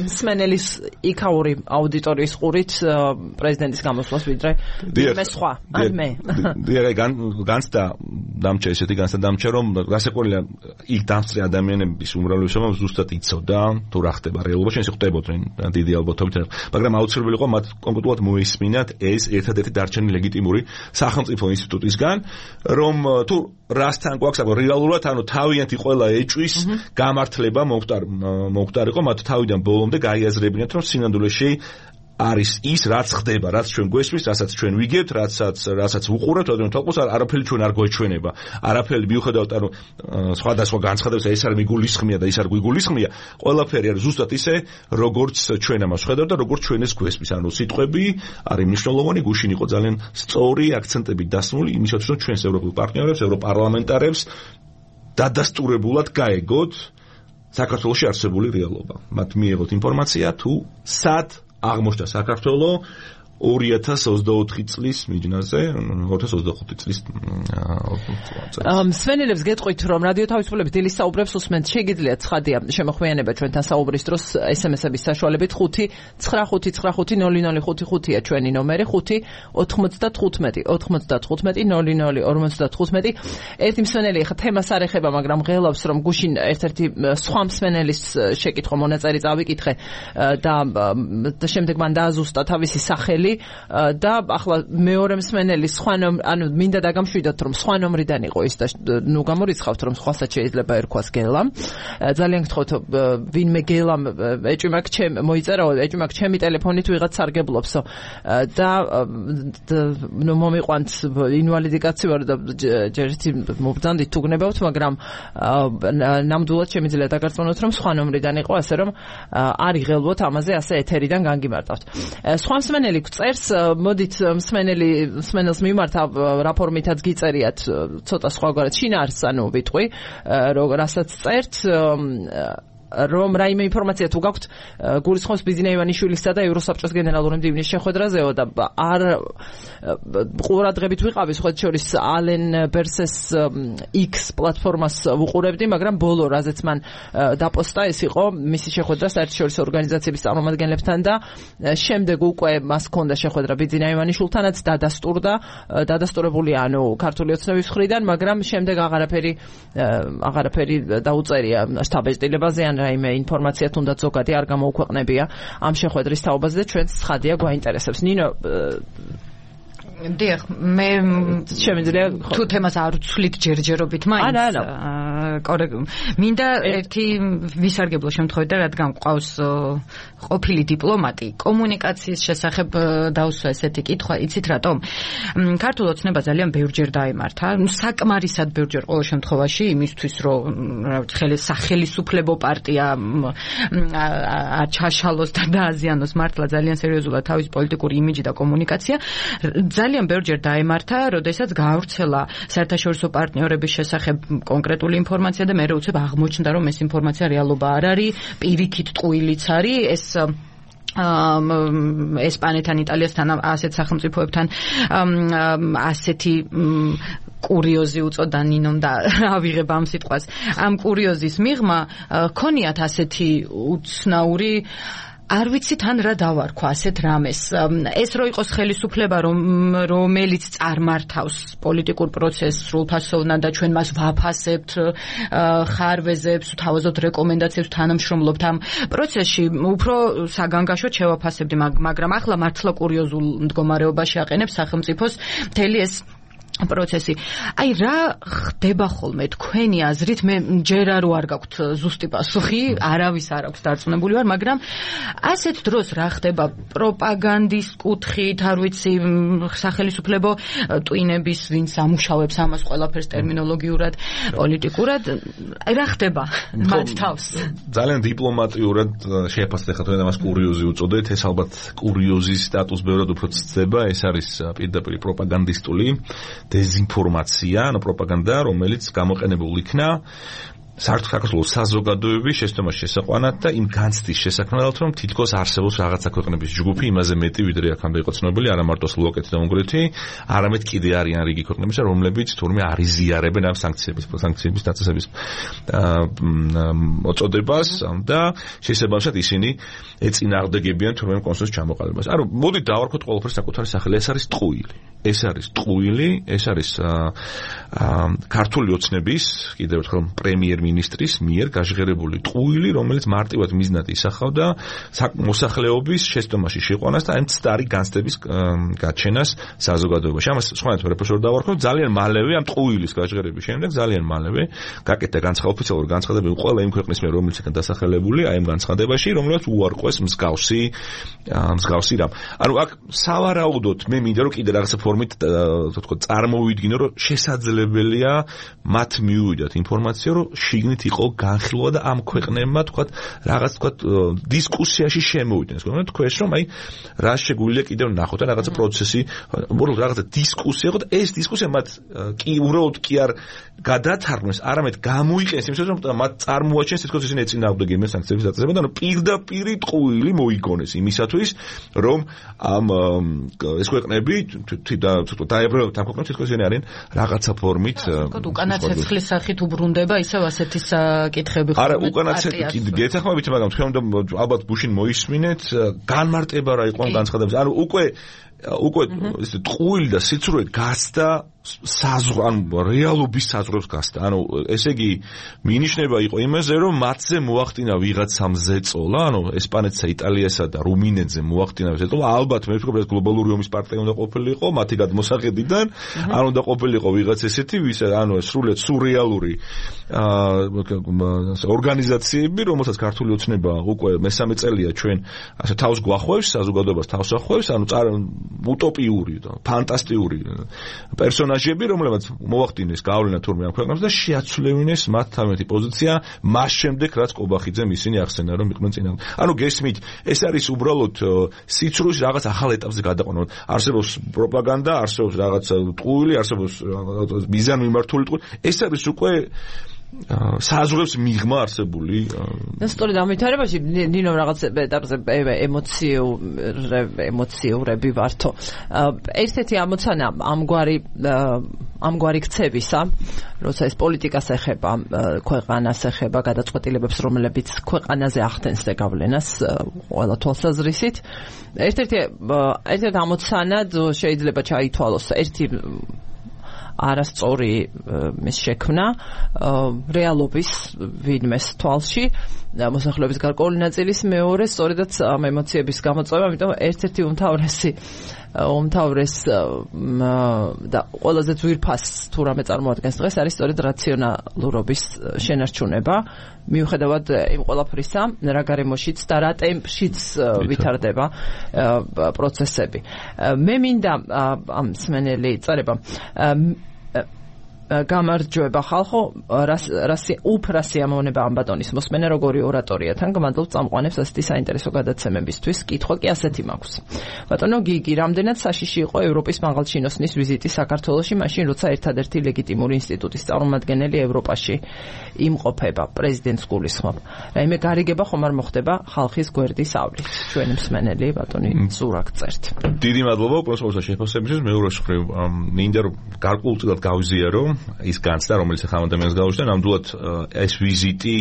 მსმენელის იქაური აუდიტორიის ყურით პრეზიდენტის გამოსვლას ვიდრე მე სხვა, ან მე.
დიახ, განცდა დამჭა ესეთი განცდა დამჭა რომ გასაკვირია იქ დამსწრე ადამიანების უმრავლესობა ზუსტად იცოდა თუ რა ხდება რეალობაში, ეს ხდებოდნენ დიდი ალბათობით, მაგრამ აუცილებელი იყო მათ კონკრეტულად მოისმინათ ეს ერთადერთი დარჩენილი ლეგიტიმური სახელმწიფო ინსტიტუტისგან, რომ თუ რასთან გვაქვს აკო რეალურად, ანუ თავიანთი ყველა ეჭვის გამართლება მომხდარიყო, მათ თავიდან ბოლომდე გაიაზრებინათ, რომ სინამდვილეში არის ის, რაც ხდება, რაც ჩვენ გვესმის, რასაც ჩვენ ვიგებთ, რასაც რასაც ვუყურებთ, რადგან თვალყოს არაფერი ჩვენ არ გვეჩვენება. არაფერი მიუხედავად, ანუ სხვადასხვა განცხადებს, ეს არ მიგულისხმია და ის არ გვიგულისხმია, ყველაფერი არის ზუსტად ისე, როგორც ჩვენ ამას ვხედავთ და როგორც ჩვენ ეს გვესმის. ანუ სიტყვები არის მნიშვნელოვანი, გუშინ იყო ძალიან სწორი აქცენტები დასმული იმისათვის, რომ ჩვენს ევროპულ პარტნიორებს, ევროპარლამენტარებს დადასტურებულად გაეგოთ საქართველოში არსებული რეალობა. მათ მიიღოთ ინფორმაცია თუ სად აღმოჩნდა საქართველო ორი ათას ოცდაოთხი წლის მიჯნაზე, ორი ათას ოცდახუთი წლის
მსმენელებს გეტყვით, რომ რადიო თავისუფლების დილის საუბრებს უსმენთ, შეგიძლიათ ცხადია შემოხვიანება ჩვენთან საუბრის დროს ეს ემ ესების საშუალებით ხუთი ცხრა ხუთი ცხრა ხუთი ნული ნული ხუთი ხუთია ჩვენი ნომერი, ხუთი ოთხმოცდათხუთმეტი ოთხმოცდათხუთმეტი ნული ნული ორმოცდათხუთმეტი. ერთი მსმენელი ხა თემას არ ეხება, მაგრამ ღელავს, რომ გუშინ ერთ-ერთი სხვა მსმენელის შეკითხვა მონაწერი წავიკითხე და შემდეგ მან დააზუსტა თავისი სახელი და ახლა მეორე მსმენელი სხვა ანუ მინდა დაგამშვიდოთ, რომ სხვა ნომრიდან იყო ის და ნუ გამორიცხავთ, რომ სხვასაც შეიძლება ერქვას გელამ. ძალიან გთხოვთ, ვინმე გელამ ეჭვი მაქვს ჩემ მოიწერაო, ეჭვი მაქვს ჩემი ტელეფონით ვიღაც სარგებლობსო და ნუ მომიყვანთ ინვალიდი კაცი ვარ და ჯერეთი მობრძანდით თუ გნებავთ, მაგრამ ნამდვილად შემიძლია დაგარწმუნოთ, რომ სხვა ნომრიდან იყო, ასე რომ არ იღელვოთ ამაზე ასე ეთერიდან განგიმარტავთ. სხვა მსმენელი წერს, მოდით მსმენელი მსმენელს მიმართა რა ფორმითაც გიწერიათ ცოტა სხვაგვარად შინაარსს, ანუ ვიტყვი, რასაც წერთ, რომ რაიმე ინფორმაცია თუ გაქვთ გულისხმობს ბიზინა ივანიშვილისა და ევროსაბჭოს გენერალური მდივნის შეხვედრაზეო და არ ყურადღებით ვიყავი სხვა შორის ალენ ბერსეს X პლატფორმას ვუყურებდი, მაგრამ ბოლო რაზეც მან დაპოსტა ეს იყო მისი შეხვედრა საერთაშორისო ორგანიზაციების წარმომადგენლებთან და შემდეგ უკვე მას ჰქონდა შეხვედრა ბიზინა ივანიშვილთანაც დადასტურდა, დადასტურებულია ანუ ქართული ოცნების მხრიდან, მაგრამ შემდეგ აღარაფერი აღარაფერი დაუწერია შტაბ-ეჭდილებაზე ან რაიმე ინფორმაცია თუნდაც ზოგადი არ გამოუქვეყნებია ამ შეხვედრის თაობაზე და ჩვენც ცხადია გვაინტერესებს. ნინო
დიახ, მე
შემიძლია
თუ თემას არ ვცვლით ჯერჯერობით მაინც.
არა, არა.
კორექტ. მინდა ერთი ვისარგებლო შემთხვევით და რადგან ყავს ყოფილი დიპლომატი, კომუნიკაციის შესახებ დავსვა ესეთი კითხვა, იცით რატომ? ქართულ ოცნება ძალიან ბევრჯერ დაემართა, საკმარისად ბევრჯერ ყოველ შემთხვევაში იმისთვის, რომ რა ვიცი, სახელმწიფო პარტია ჩაშალოს და დააზიანოს მართლა ძალიან სერიოზულად თავის პოლიტიკური იმიჯი და კომუნიკაცია. ძალიან ბევრჯერ დაემართა, როდესაც გაავრცელა საერთაშორისო პარტნიორების შესახებ კონკრეტული ინფორმაცია და მე უცებ აღმოჩნდა, რომ ეს ინფორმაცია რეალობა არ არის, პირიქით ტყუილიც არის, ეს ესპანეთთან, იტალიასთან, ასეთ სახელმწიფოებთან ასეთი კურიოზი უწოდა ნინომ და ავიღებ ამ სიტყვას. ამ კურიოზის მიღმა ქონიათ ასეთი უცნაური არ ვიცი თან რა დავარქვა ასეთ რამეს. ეს რო იყოს ხელისუფლება, რომელიც წარმართავს პოლიტიკურ პროცესს სრულფასოვნად და ჩვენ მას ვაფასებთ, ხარვეზებს, თავაზობთ რეკომენდაციებს, თანამშრომლობთ ამ პროცესში, უფრო საგანგაშოდ შევაფასებდი, მაგრამ ახლა მართლა კურიოზულ მდგომარეობაში აყენებს სახელმწიფოს მთელი ეს პროცესი. აი რა ხდება ხოლმე თქვენი აზრით? მე ჯერ არ ვარ გაქვთ ზუსტი პასუხი, არავის არ აქვს დარწმუნებული ვარ, მაგრამ ასეთ დროს რა ხდება პროპაგანდის კუთხით, არ ვიცი, სახელმწიფო ტვინების ვინც ამუშავებს ამას ყველაფერს ტერმინოლოგიურად, პოლიტიკურად, აი რა ხდება მათ თავს?
ძალიან დიპლომატიურად შეფასეთ ხა თქვენ ამას კურიოზი უწოდეთ, ეს ალბათ კურიოზის სტატუს ბევრად უფრო ცდება, ეს არის პირდაპირ პროპაგანდისტული დეზინფორმაცია, ანუ პროპაგანდა, რომელიც გამოყენებულ იქნა საქართველოს საზოგადოების შეცდომას შესაყვანად და იმ განცდის შესაქმნელად, რომ თითქოს არსებობს რაღაცა ქვეყნების ჯგუფი იმაზე მეტი, ვიდრე აქამდე იყო ცნობილი, არა მარტო სლოვაკეთი და უნგრეთი, არამედ კიდე არიან რიგი ქვეყნებისა, რომლებიც თურმე არიზიარებენ ამ სანქციების სანქციების დაწესების მოწოდებას და შესაბამისად ისინი ეწინააღმდეგებიან თურმე კონსენსუსის ჩამოყალიბებას. ანუ მოდით დავარქვათ ყველაფერს საკუთარი სახელი. ეს არის ტყუილი. ეს არის ტყუილი, ეს არის ქართული ოცნების, კიდევ ერთხელ პრემიერ-მინისტრის მიერ გაჟღერებული ტყუილი, რომელიც მარტივად მიზნად ისახავდა მოსახლეობის შეცდომაში შეყვანას და ამ მცდარი განცდების გაჩენას საზოგადოებაში. ამას სხვანაირად ვერაფერს ვერ დავარქვათ, ძალიან მალევე ამ ტყუილის გაჟღერების შემდეგ ძალიან მალევე გაკეთდა განცხადება, ოფიციალური განცხადებები ყველა იმ ქვეყნის მიერ, რომელიც იქნა დასახელებული აი ამ განცხადებაში, რომელსაც უარყვეს მსგავსი მსგავსი რამ. ანუ აქ სავარაუდოდ მე მინდა რომ კიდე რაღაცა ფორმით თქო წარმოვიდგინო რომ შესაძლებელია მათ მიუვიდათ ინფორმაცია რომ შიგნით იყო განხილვა და ამ ქვეყნებმა თქვა რაღაც თქვა დისკუსიაში შემოვიდნენ. ეს თქვენ რომ აი რა შეგვიძლია კიდევ ნახოთ და რაღაცა პროცესი უბრალოდ რაღაცა დისკუსია იყო და ეს დისკუსია მათ კი უბრალოდ კი არ გადათარგმნეს, არამედ გამოიყენეს იმისათვის რომ მათ წარმოაჩენს თითქოს ისინი ეწინააღმდეგებიან სანქციების დაწესებას და პირდაპირი ტყუილი მოიგონეს იმისათვის რომ ამ ეს ქვეყნები დაებრუნებათ ამ ქვეყნებს თითქოს ისინი არიან რაღაცა ფორმით
უკანა ცეცხლის სახით უბრუნდება ისევ ასეთი საკითხები ხო?
არა, უკანა ცეცხლი გეთახმებით, მაგრამ თქვენ უნდა ალბათ გუშინ მოისმინეთ განმარტება რა იყო ამ განცხადების. ანუ უკვე უკვე ეს ტყუილი და სიცრუე გასდა საზღვრ ან რეალობის საზღვრებს გასდა. ანუ ესე იგი მინიშნება იყო იმაზე რომ მათზე მოახდინა ვიღაცამ ზეწოლა, ანუ ესპანეთსა, იტალიასა და რუმინეთზე მოახდინა ზეწოლა. ალბათ მე ვფიქრობ ეს გლობალური ომის პარტია უნდა ყოფილიყო, მათი გადმოსახედიდან, ან უნდა ყოფილიყო ვიღაც ესეთი, ვის ანუ სრულიად სურეალური აა ორგანიზაციები, რომელსაც ქართული ოცნება უკვე მესამე წელია ჩვენ ასე თავს გვახვევს, საზოგადოებას თავს ახვევს, ანუ უტოპიური და ფანტასტიკური პერსონაჟები, რომლებიც მოახდინეს გავლენა თურმე ამ ქვეყნებს და შეაცვლევინეს მათ თავიანთი პოზიცია მას შემდეგ, რაც კობახიძემ ისინი ახსენა, რომ იყვნენ წინააღმდეგ. ანუ გესმით, ეს არის უბრალოდ სიცრუის რაღაც ახალ ეტაპზე გადაყვანა. არსებობს პროპაგანდა, არსებობს რაღაც ტყუილი, არსებობს მიზანმიმართული ტყუილი. ეს არის უკვე საზღვრებს მიღმა არსებული.
და სწორედ ამ ვითარებაში ნინო რაღაც ეტაპზე ემოციურ ემოციურები ვართო. ერთ-ერთი ამოცანა ამგვარი ამგვარი ქცევისა, როცა ეს პოლიტიკას ეხება, ქვეყანას ეხება, გადაწყვეტილებებს, რომლებიც ქვეყანაზე ახდენს გავლენას ყველა თვალსაზრისით. ერთ-ერთი ერთ-ერთი ამოცანად შეიძლება ჩაითვალოს ერთი არასწორი მის შექმნა რეალობის ვინმეს თვალში მოსახლეობის გარკვეული ნაწილის, მეორე სწორედაც ამ ემოციების გამოწვევა, ამიტომ ერთ-ერთი უმთავრესი უმთავრეს და ყველაზე ძვირფას თუ რამე წარმოადგენს დღეს არის სწორედ რაციონალურობის შენარჩუნება, მიუხედავად იმ ყველაფრისა, რა გარემოშიც და რა ტემპშიც ვითარდება პროცესები. მე მინდა ამ მსმენელი წერება გამარჯვება ხალხო, რასი უფრასი ამონება ამ ბატონის მოსმენა როგორი ორატორია თან გმადლობ წამყვანებს ასეთი საინტერესო გადაცემებისთვის. კითხვა კი ასეთი მაქვს. ბატონო გიგი, რამდენად საშიში იყო ევროპის მაღალჩინოსნის ვიზიტი საქართველოში, მაშინ როცა ერთადერთი ლეგიტიმური ინსტიტუტის წარმომადგენელი ევროპაში იმყოფება, პრეზიდენტს გულისხმობ. რაიმე გარიგება ხომ არ მოხდება ხალხის გვერდის ავლით. ჩვენი მსმენელი ბატონი ზურაკ წერთ.
დიდი მადლობა უპროსპოსა შეფასებისთვის. მეორე მხრივ მინდა რომ გარკვეულწილად გავიზიარო ის განცდა, რომელიც ახლა ადამიანს გაუჩნდა, ნამდვილად ეს ვიზიტი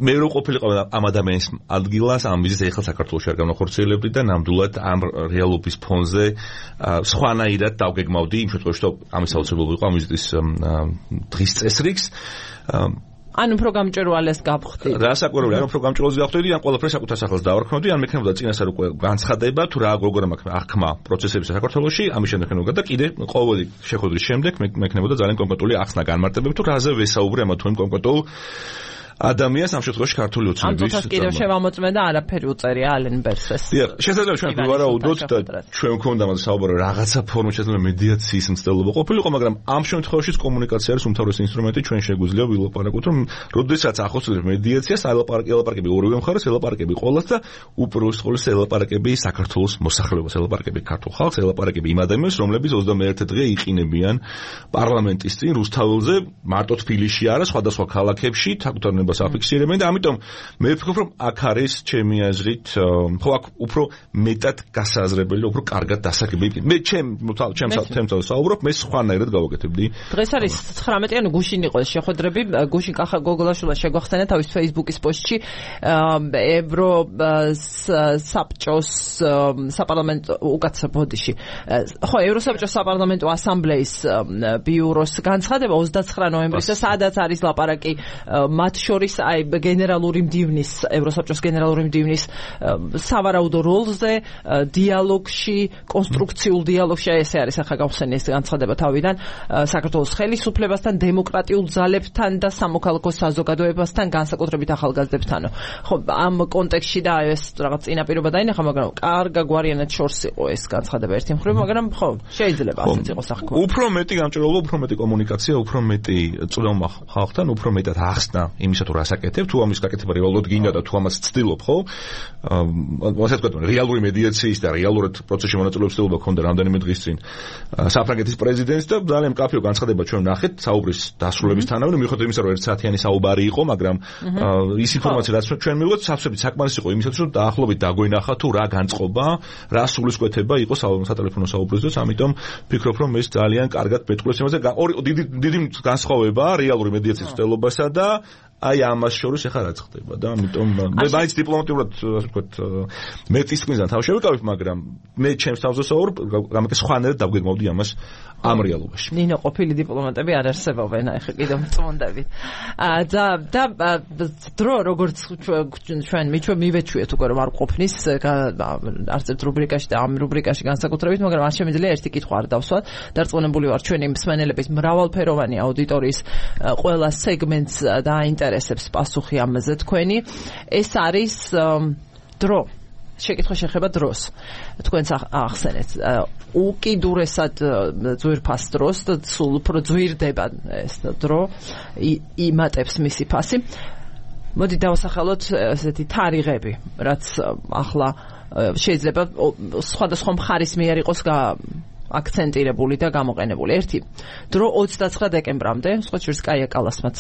მე რო ყოფილიყო ამ ადამიანის ადგილას, ამ ვიზიტს ეხლა საქართველოში არ განახორციელებდი და ნამდვილად ამ რეალობის ფონზე სხვანაირად დავგეგმავდი იმ შემთხვევაში, რომ ამის აუცილებლობა იყო ამ ვიზიტის დღის წესრიგს.
ან უფრო გამჭვირვალეს გავხდით.
რასაკვირველია, ან უფრო გამჭვირვალეს გავხდით, ან ყველაფერს საკუთარ სახელს დავარქმევდი, ან მექნებოდა წინასწარ უკვე განცხადება, თუ რა როგორ აღქმა პროცესების საქართველოში, ამის შემდეგ მექნებოდა და კიდე ყოველი შეხვედრის შემდეგ მექნებოდა ძალიან კონკრეტული ახსნა განმარტებები, თუ რაზე ვესაუბრე ამა თუ იმ კონკრეტულ ადამიანს ამ შემთხვევაში ქართული ოცნების
ამ წუთას კიდევ შევამოწმე და არაფერი უწერია ალენ ბერსეს.
დიახ, შესაძლოა ჩვენ ვივარაუდოთ და ჩვენ მქონდა მას საუბარი რაღაცა ფორმით შესაძლოა მედიაციის მცდელობა ყოფილიყო, მაგრამ ამ შემთხვევაშიც კომუნიკაცია არის უმთავრესი ინსტრუმენტი, ჩვენ შეგვიძლია ვილაპარაკოთ, რომ როდესაც ახორციელებს მედიაციას, ელაპარაკები ორივე მხარეს, ელაპარაკები ყოველს და უპირველეს ყოვლისა ელაპარაკები საქართველოს მოსახლეობას, ელაპარაკები ქართულ ხალხს, ელაპარაკები იმ ადამიანებს, რომლებიც ოცდამეერთე დღე იყინებიან პარლამენტის წინ რუსთაველზე, მარტო თბილისში არა, სხვადასხვა ქალაქებში თაკუთარნებას აფიქსირებენ და ამიტომ მე ვფიქრობ, რომ აქ არის ჩემი აზრით, ხო აქ უფრო მეტად გასაზრებელი, უფრო კარგად დასაგები. მე ჩემ ჩემ თემს საუბრობ, მე სხვანაირად გავაკეთებდი.
დღეს არის ცხრამეტიანი გუშინ იყო შეხვედრები, გუშინ კახა გოგოლაშვილა შეგვახსენა თავის Facebook-ის პოსტში ევრო საბჭოს საპარლამენტო უკაცრ ბოდიში. ხო, ევროსაბჭოს საპარლამენტო ასამბლეის ბიუროს განცხადება ოცდაცხრა ნოემბრის და სადაც არის ლაპარაკი მათ შორის აი გენერალური მდივნის ევროსაბჭოს გენერალური მდივნის სავარაუდო როლზე, დიალოგში, კონსტრუქციულ დიალოგში, ესე არის ახლა გავხსენე ეს განცხადება თავიდან საქართველოს ხელისუფლებასთან, დემოკრატიულ ძალებთან და სამოქალაქო საზოგადოებასთან, განსაკუთრებით ახალგაზრდებთან. ხო, ამ კონტექსტში და ეს რაღაც წინაპირობა დაინახა, მაგრამ კარგა გვარიანად შორს იყო ეს განცხადება ერთი მხრივ, მაგრამ ხო, შეიძლება ასეც იყოს ახლა.
უფრო მეტი გამჭირვალობა, უფრო მეტი კომუნიკაცია, უფრო მეტი წვდომა ხალხთან, უფრო მეტად ახსნა იმისა თუ რას აკეთებ, თუ ამის გაკეთება რეალურად გინდა და თუ ამას ცდილობ, ხო? ასე ვთქვათ, რეალური მედიაციის და რეალურად პროცესში მონაწილეობის ცდილობა ქონდა რამდენიმე დღის წინ საფრანგეთის პრეზიდენტს და ძალიან მკაფიო განცხადება ჩვენ ნახეთ საუბრის დასრულებისთანავე, მიუხედავად იმისა, რომ ერთ საათიანი საუბარი იყო, მაგრამ ის ინფორმაცია, რაც ჩვენ მივიღეთ, სავსებით საკმარისი იყო იმისათვის, რომ დაახლოებით დაგვენახა თუ რა განწყობა, რა სულისკვეთება იყო სატელეფონო საუბრის დროს, ამიტომ ვფიქრობ, რომ ეს ძალიან კარგად მეტყველებს იმაზე, დიდი დიდი განსხვავებაა რეალური მედიაციის ცდილობასა და აი ამას შორის ახლა რაც ხდება და ამიტომ მე მაინც დიპლომატიურად ასე ვთქვათ მეტის წინიდან თავ შევიკავებ, მაგრამ მე ჩემს თავზე საუბრობ, გამეკე სხვანაირად დავგეგმავდი ამას ამ რეალობაში.
ნინო ყოფილი დიპლომატები არ არსებობენ, ახლა კიდევ მწმუნდებით. და და დრო როგორც ჩვენ მიჩვენ მივეჩვიეთ უკვე რომ არ ყოფნის არც ერთ რუბრიკაში და ამ რუბრიკაში განსაკუთრებით, მაგრამ არ შემიძლია ერთი კითხვა არ დავსვათ. დარწმუნებული ვარ ჩვენი მსმენელების მრავალფეროვანი აუდიტორიის ყველა სეგმენტს დააინტერესებს პასუხი ამაზე თქვენი. ეს არის დრო. შეკითხვა შეხება დროს. თქვენს ახსენეთ. უკიდურესად ძვირფას დროს და სულ უფრო ძვირდება ეს დრო, იმატებს მისი ფასი. მოდი დავასახელოთ ესეთი თარიღები, რაც ახლა შეიძლება სხვადასხვა მხარის მიერ იყოს აქცენტირებული და გამოყენებული. ერთი დრო ოცდაცხრა დეკემბრამდე, სხვა შორის კაია კალასმაც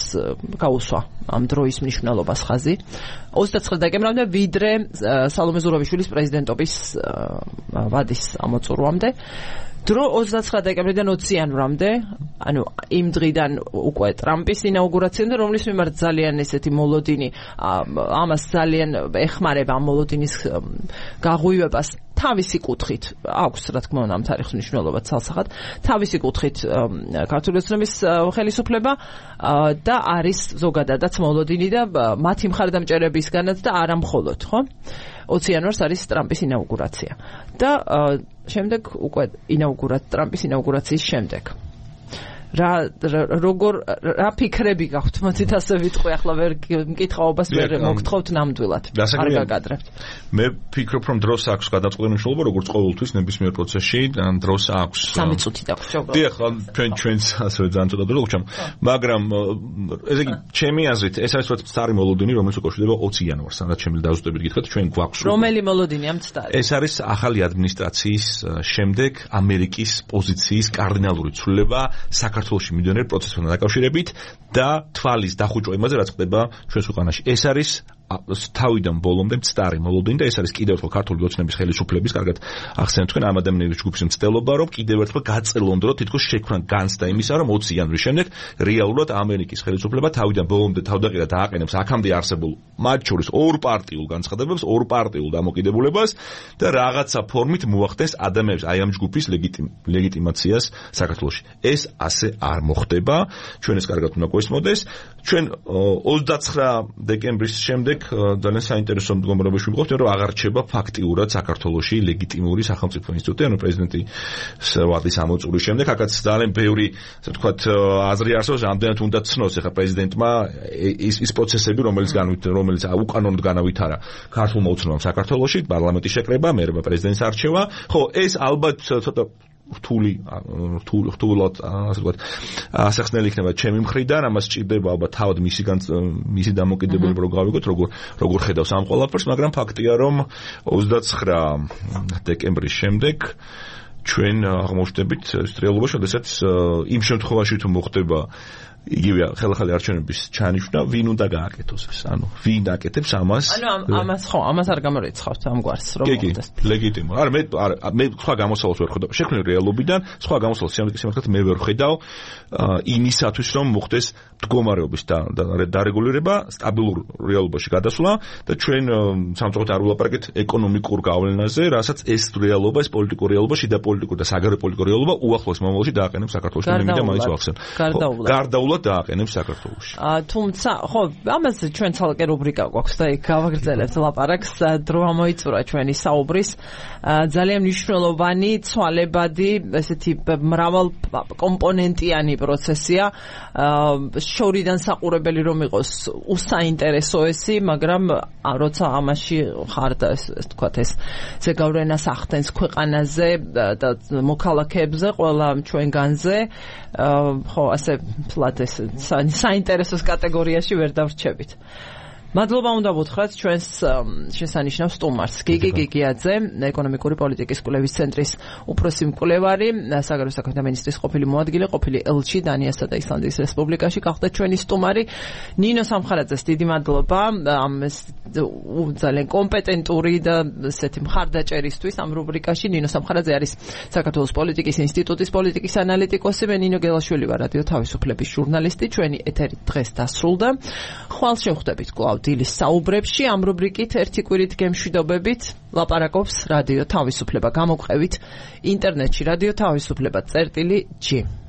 გაუსვა ამ დროის მნიშვნელობას ხაზი. ოცდაცხრა დეკემბრამდე ვიდრე სალომე ზურაბიშვილის პრეზიდენტობის ვადის ამოწურვამდე. დრო ოცდაცხრა დეკემბრიდან ოცი იანვრამდე, ანუ იმ დღიდან უკვე ტრამპის ინაუგურაციამდე, რომლის მიმართ ძალიან ესეთი მოლოდინი, ამას ძალიან ეხმარება ამ მოლოდინის გაღვივებას თავისი კუთხით, აქვს რა თქმა უნდა ამ თარიღის მნიშვნელობა ცალსახად, თავისი კუთხით ქართული ოცნების ხელისუფლება და არის ზოგადადაც მოლოდინი და მათი მხარდამჭერებისგანაც და არა მხოლოდ, ხო? ოცი იანვარს არის ტრამპის ინაუგურაცია. და შემდეგ უკვე ინაუგურა ტრამპის ინაუგურაციის შემდეგ. რა როგორ რა ფიქრები გაქვთ, მოძით ასე ვიტყვი, ახლა ვერ მკითხაობას ვერ მოგთხოვთ ნამდვილად. არ გაგადრებთ.
მე ვფიქრობ, რომ დროს აქვს გადაწყვეტილი მნიშვნელობა, როგორც ყოველთვის ნებისმიერ პროცესში, დროს აქვს.
სამი წუთი დაგვჭირდება.
დიახ, ჩვენ ჩვენც ასევე ძალიან ცოტა დრო გვჭამ, მაგრამ ესე იგი, ჩემი აზრით, ეს არის რაც მცდარი მოლოდინი, რომელიც უკვე შვდება ოცი იანვარს, სადაც შემიძლია დაუზუსტებით გითხრათ, ჩვენ გვაქვს.
რომელი მოლოდინია მცდარი?
ეს არის ახალი ადმინისტრაციის შემდეგ ამერიკის პოზიციის კარდინალური ცვლილება საქართველოში მიდიოდნენ პროცესთან დაკავშირებით და თვალის დახუჭვა იმაზე, რაც ხდება ჩვენს ქვეყანაში. ეს არის თავიდან ბოლომდე მცდარი მოლოდინი და ეს არის კიდევ ერთხელ ქართული ოცნების ხელისუფლების, კარგად ახსენეთ თქვენ ამ ადამიანების ჯგუფის მცდელობა, რომ კიდევ ერთხელ გაწელონ დრო თითქოს შექმნა განცდა იმისა, რომ ოცი იანვრის შემდეგ რეალურად ამერიკის ხელისუფლება თავიდან ბოლომდე თავდაყირა დააყენებს აქამდე არსებულ მათ შორის ორ პარტიულ განცხადებებს, ორ პარტიულ დამოკიდებულებას და რაღაცა ფორმით მოახდენს ადამიანებს აი ამ ჯგუფის ლეგიტიმაციას საქართველოში. ეს ასე არ მოხდება, ჩვენ ეს კარგად უნდა გვესმოდეს. ჩვენ ოცდაცხრა დეკემბრის შემდეგ შემდეგ ძალიან საინტერესო მდგომარეობაში ვიყავთ, რომ აღარ რჩება ფაქტიურად საქართველოში ლეგიტიმური სახელმწიფო ინსტიტუტი, ანუ პრეზიდენტის ვადის ამოწურის შემდეგ, აქაც ძალიან ბევრი, ასე ვთქვათ, აზრი არსებობს, რამდენად უნდა ცნოს ახლა პრეზიდენტმა ის ის პროცესები, რომელიც რომელიც უკანონოდ განავითარა ქართულმა უცნობამ საქართველოში, პარლამენტის შეკრება, მერე პრეზიდენტის არჩევა. ხო, ეს ალბათ ცოტა რთული რთულად ასე ვთქვათ ასახსნელი იქნება ჩემი მხრიდან, ამას სჭირდება ალბათ თავად მისი მისი დამოკიდებულება რო გავიგოთ, როგორ როგორ ხედავს ამ ყველაფერს, მაგრამ ფაქტია, რომ ოცდაცხრა დეკემბრის შემდეგ ჩვენ აღმოჩნდებით რეალობაში, როდესაც იმ შემთხვევაში თუ მოხდება იგივე ხელახალი არჩევნების ჩანიშვნა, ვინ უნდა გააკეთოს ეს? ანუ ვინ აკეთებს ამას?
ანუ ამას ხო, ამას არ გამორიცხავთ ამგვარს, რომ
მოხდეს. კი, ლეგიტიმური. არა, მე მე სხვა გამოსავალს ვერ ხედავ. შექმნილ რეალობიდან სხვა გამოსავალს სიმართლე მე ვერ ხედავ იმისათვის, რომ მოხდეს მდგომარეობის დარეგულირება, სტაბილურ რეალობაში გადასვლა და ჩვენ სამწუხაროდ არ ვილაპარაკეთ ეკონომიკურ გავლენაზე, რასაც ეს რეალობა, ეს პოლიტიკური რეალობა, შიდა პოლიტიკური და საგარეო პოლიტიკური რეალობა უახლოეს მომავალში დააყენებს საქართველოში და მე მაინც ვახსენ. გარდაულად დააყენებს საქართველოში.
თუმცა, ხო, ამაზე ჩვენ ცალკე რუბრიკა გვაქვს და იქ გავაგრძელებთ ლაპარაკს, დრო ამოიწურა ჩვენი საუბრის. ძალიან მნიშვნელოვანი, ცვალებადი, ესეთი მრავალ კომპონენტიანი პროცესია. შორიდან საყურებელი რომ იყოს უსაინტერესოესი, მაგრამ როცა ამაში ხარ და ეს თქვათ ეს ზეგავლენას ახდენს ქვეყანაზე და მოქალაქეებზე, ყველა ჩვენგანზე, ხო, ასე ფლად ეს საინტერესოს კატეგორიაში ვერ დავრჩებით. მადლობა უნდა ვუთხრათ ჩვენს შესანიშნავ სტუმარს, გიგი გიგიაძე, ეკონომიკური პოლიტიკის კვლევის ცენტრის უფროსი მკვლევარი, საგარეო საქმეთა მინისტრის ყოფილი მოადგილე, ყოფილი ელჩი დანიასა და ისლანდიის რესპუბლიკაში, გახდა ჩვენი სტუმარი. ნინო სამხარაძეს დიდი მადლობა ამ ძალიან კომპეტენტური და ესეთი მხარდაჭერისთვის ამ რუბრიკაში. ნინო სამხარაძე არის საქართველოს პოლიტიკის ინსტიტუტის პოლიტიკის ანალიტიკოსი, მე ნინო გელაშვილი ვარ, რადიო თავისუფლების ჟურნალისტი. ჩვენი ეთერი დღეს დასრულდა. ხვალ შევხვდებით კვლავ დილის საუბრებში, ამ რუბრიკით ერთი კვირით გემშვიდობებით ლაპარაკობს რადიო თავისუფლება. გამოგვყევით ინტერნეტში რადიო თავისუფლება წერტილი ჯი.